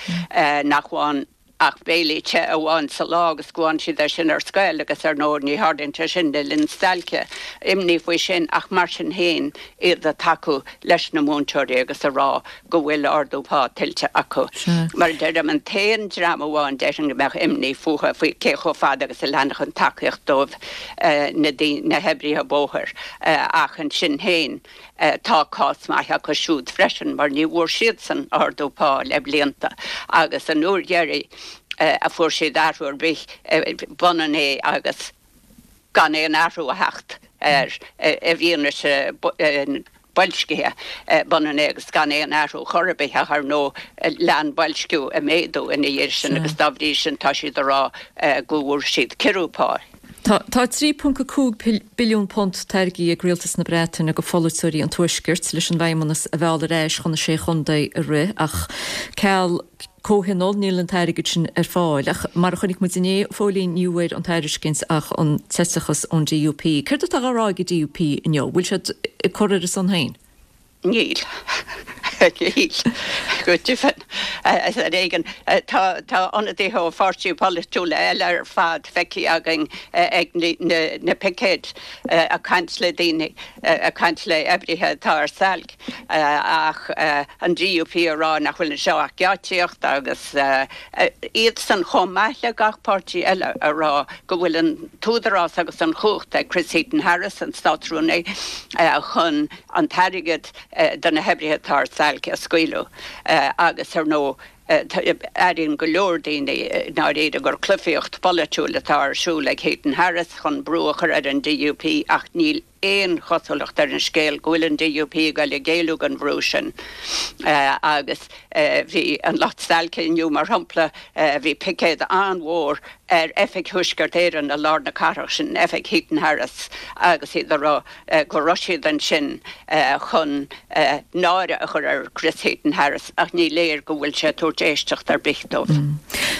nach bhfaigheann ach béilí te amháin sa lá agus go bhfaigheann siad é sin ar scoil agus ar ndóigh ní tharlaíonn sé sin le linn stailce. Imní faoi sin ach mar sin féin iad ag tacú leis na múinteoirí agus ag rá go bhfuil ardú pá tuillte acu. Mar a deirim, an t-aon dream amháin déarfainn go mbeadh imní fúthu faoi cé chomh fada agus a leanfadh an tacaíocht dóibh na hoibrithe bóthair ach ansin féin, Tá cás maith acu siúd freisin mar ní bhfuair siadsan ardú pá le blianta agus an uair dheiridh a fuair siad athrú ar bith b'ionann é agus gan aon athrú a theacht air i bhfianaise boilscithe, b'ionann é agus gan aon athrú chor ar bith ach ar ndóigh lean boilsciú ag méadú ina dhiaidh sin agus dá bhrí sin tá siad ag rá go bhfuair siad ciorrú pá. Tá £3.5 billiún tairgthe ag Rialtas na Breataine do pholaiteoirí an Tuaiscirt leis an bhFeidhmeannas a mhealladh ar ais chun na Sé Chontae a rith ach ceal comhthionól níl an t-airgead sin ar fáil. Ach mar a chonaic muid inné, a Phóilín, ní bhfuair an tairiscint ach an t-eiteachas ón DUP. Céard atá á rá ag an DUP inniu? Bhfuil siad ag cur ar a son féin? Níl. Níl. Go deimhin. Ar éigean. Tá ionadaithe ó pháirtithe polaitiúla eile ar fad feicthe againn ag na picéid ag caint le daoine, ag caint le oibrithe atá ar stailc ach an DUP ag rá nach bhfuil anseo ach geáitsíocht agus iadsan chomh maith le gach páirtí eile ag rá go bhfuil an t-údarás agus an chumhacht ag Chris Heaton-Harris, an Státrúnaí, chun an t-airgead do na hoibrithe atá ar stailc a scaoileadh agus, ar ndóigh, airíonn go leor daoine i ndáiríre gur cluichíocht pholaitiúil atá ar siúl ag Heaton-Harris chun brú a chur ar an DUP ach níl aon chosúlacht ar an scéal go bhfuil an DUP ag dul ag géilleadh don bhrú sin agus bhí an lucht stailce inniu, mar shampla, bhí picéad an-mhór ar oifig Thuaisceart Éireann i lár na cathrach, sin oifig Heaton-Harris, agus iad ag rá go raibh siad ansin chun náire a chur ar Chris Heaton-Harris ach ní léir go bhfuil sé ag tabhairt éisteacht ar bith dóibh.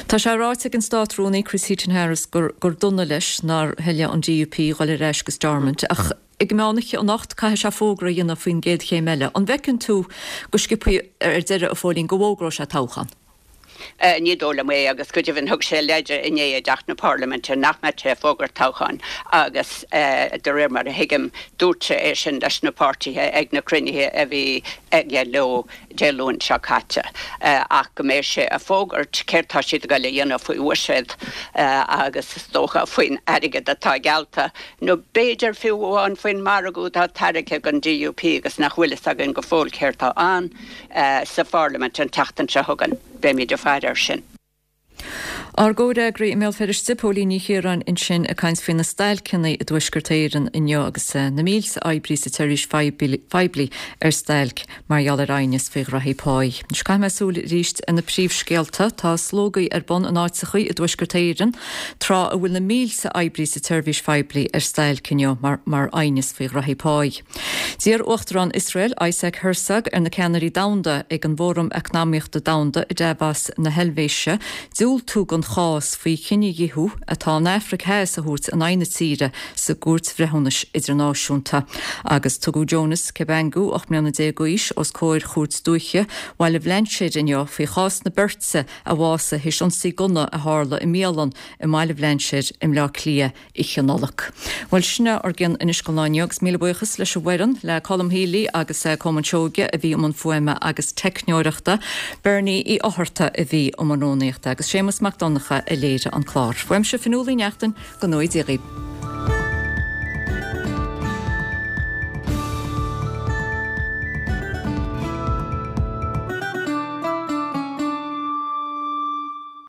Tá sé ráite ag an Státrúnaí Chris Heaton-Harris gur dona leis nár thoiligh an DUP dhul ar ais go Stormont ach ag meán oíche anocht caithfidh sé fógra a dhéanamh faoin gcéad chéim eile. An bhfeiceann tú go sciobtha ar deireadh, a Phóilín, go bhfógróidh sé toghchán? Ní dóigh liom é agus go deimhin thug sé leide inné i dTeach na Parlaiminte nach mbeadh sé ag fógairt toghcháin agus de réir mar a thuigim dúirt sé é sin leis na páirtithe ag na cruinnithe a bhí aige leo Dé Luain seo caite ach go mbeidh sé ag fógairt céard tá siad ag dul a dhéanamh faoi bhuiséad agus is dócha faoin airgead atá geallta nó b'fhéidir fiú amháin faoin margadh atá tairgthe ag an DUP agus nach bhfuil fhios againn go fóill céard tá ann. sa Pharlaimint an tseachtain seo chugainn. Beimid ag faire air sin. Ár gcomhfhreagraí i mBéal Feirste, Póilín Ní Chiaráin ansin ag caint faoi na stailceanna i dTuaisceart Éireann inniu agus na mílte oibrí sa tseirbhís phoiblí ar stailc mar gheall ar aighneas faoi ghraithí páí. Anois caithfidh mé súil arís ar na príomhscéalta. Tá slógaí ar bun in áiteachaí i dTuaisceart Éireann tráth a bhfuil na mílte oibrí sa tseirbhís phoiblí ar stailc inniu mar aighneas faoi ghraithí páí. D'iarr Uachtarán Iosrael, Isaac Herzog, ar na ceannairí domhanda ag an bhFóram Eacnamaíochta Domhanda i Davos na hEilvéise diúltú don chás faoi chinedhíothú atá an Afraic Theas a thabhairt in aghaidh na tíre sa gCúirt Bhreithiúnais Idirnáisiúnta. Agus tugadh Jonas Kabangu, 18 mbliana d'aois, os comhair Chúirt Dúiche Bhaile Bhlainséir inniu faoi chás na beirte a bhásaigh théis ionsaí gunna a tharla i mbialann i mBaile Bhlainséir i mBleá Cliath Oíche Nollag. Bhuel, sin é ár gcion anois don lá inniu agus míle buíochas leis an bhfoireann, le Colm Healy agus Colmán Seoige a bhí i mbun fuaime agus teicneoireachta, Bernie Uí Fhátharta a bhí i mbun rúnaíochta agus Séamus Mac Donncha a léirigh an clár. Uaimse Fionnuala Uí Neachtain, go ngnóthaí Dia dhaoibh.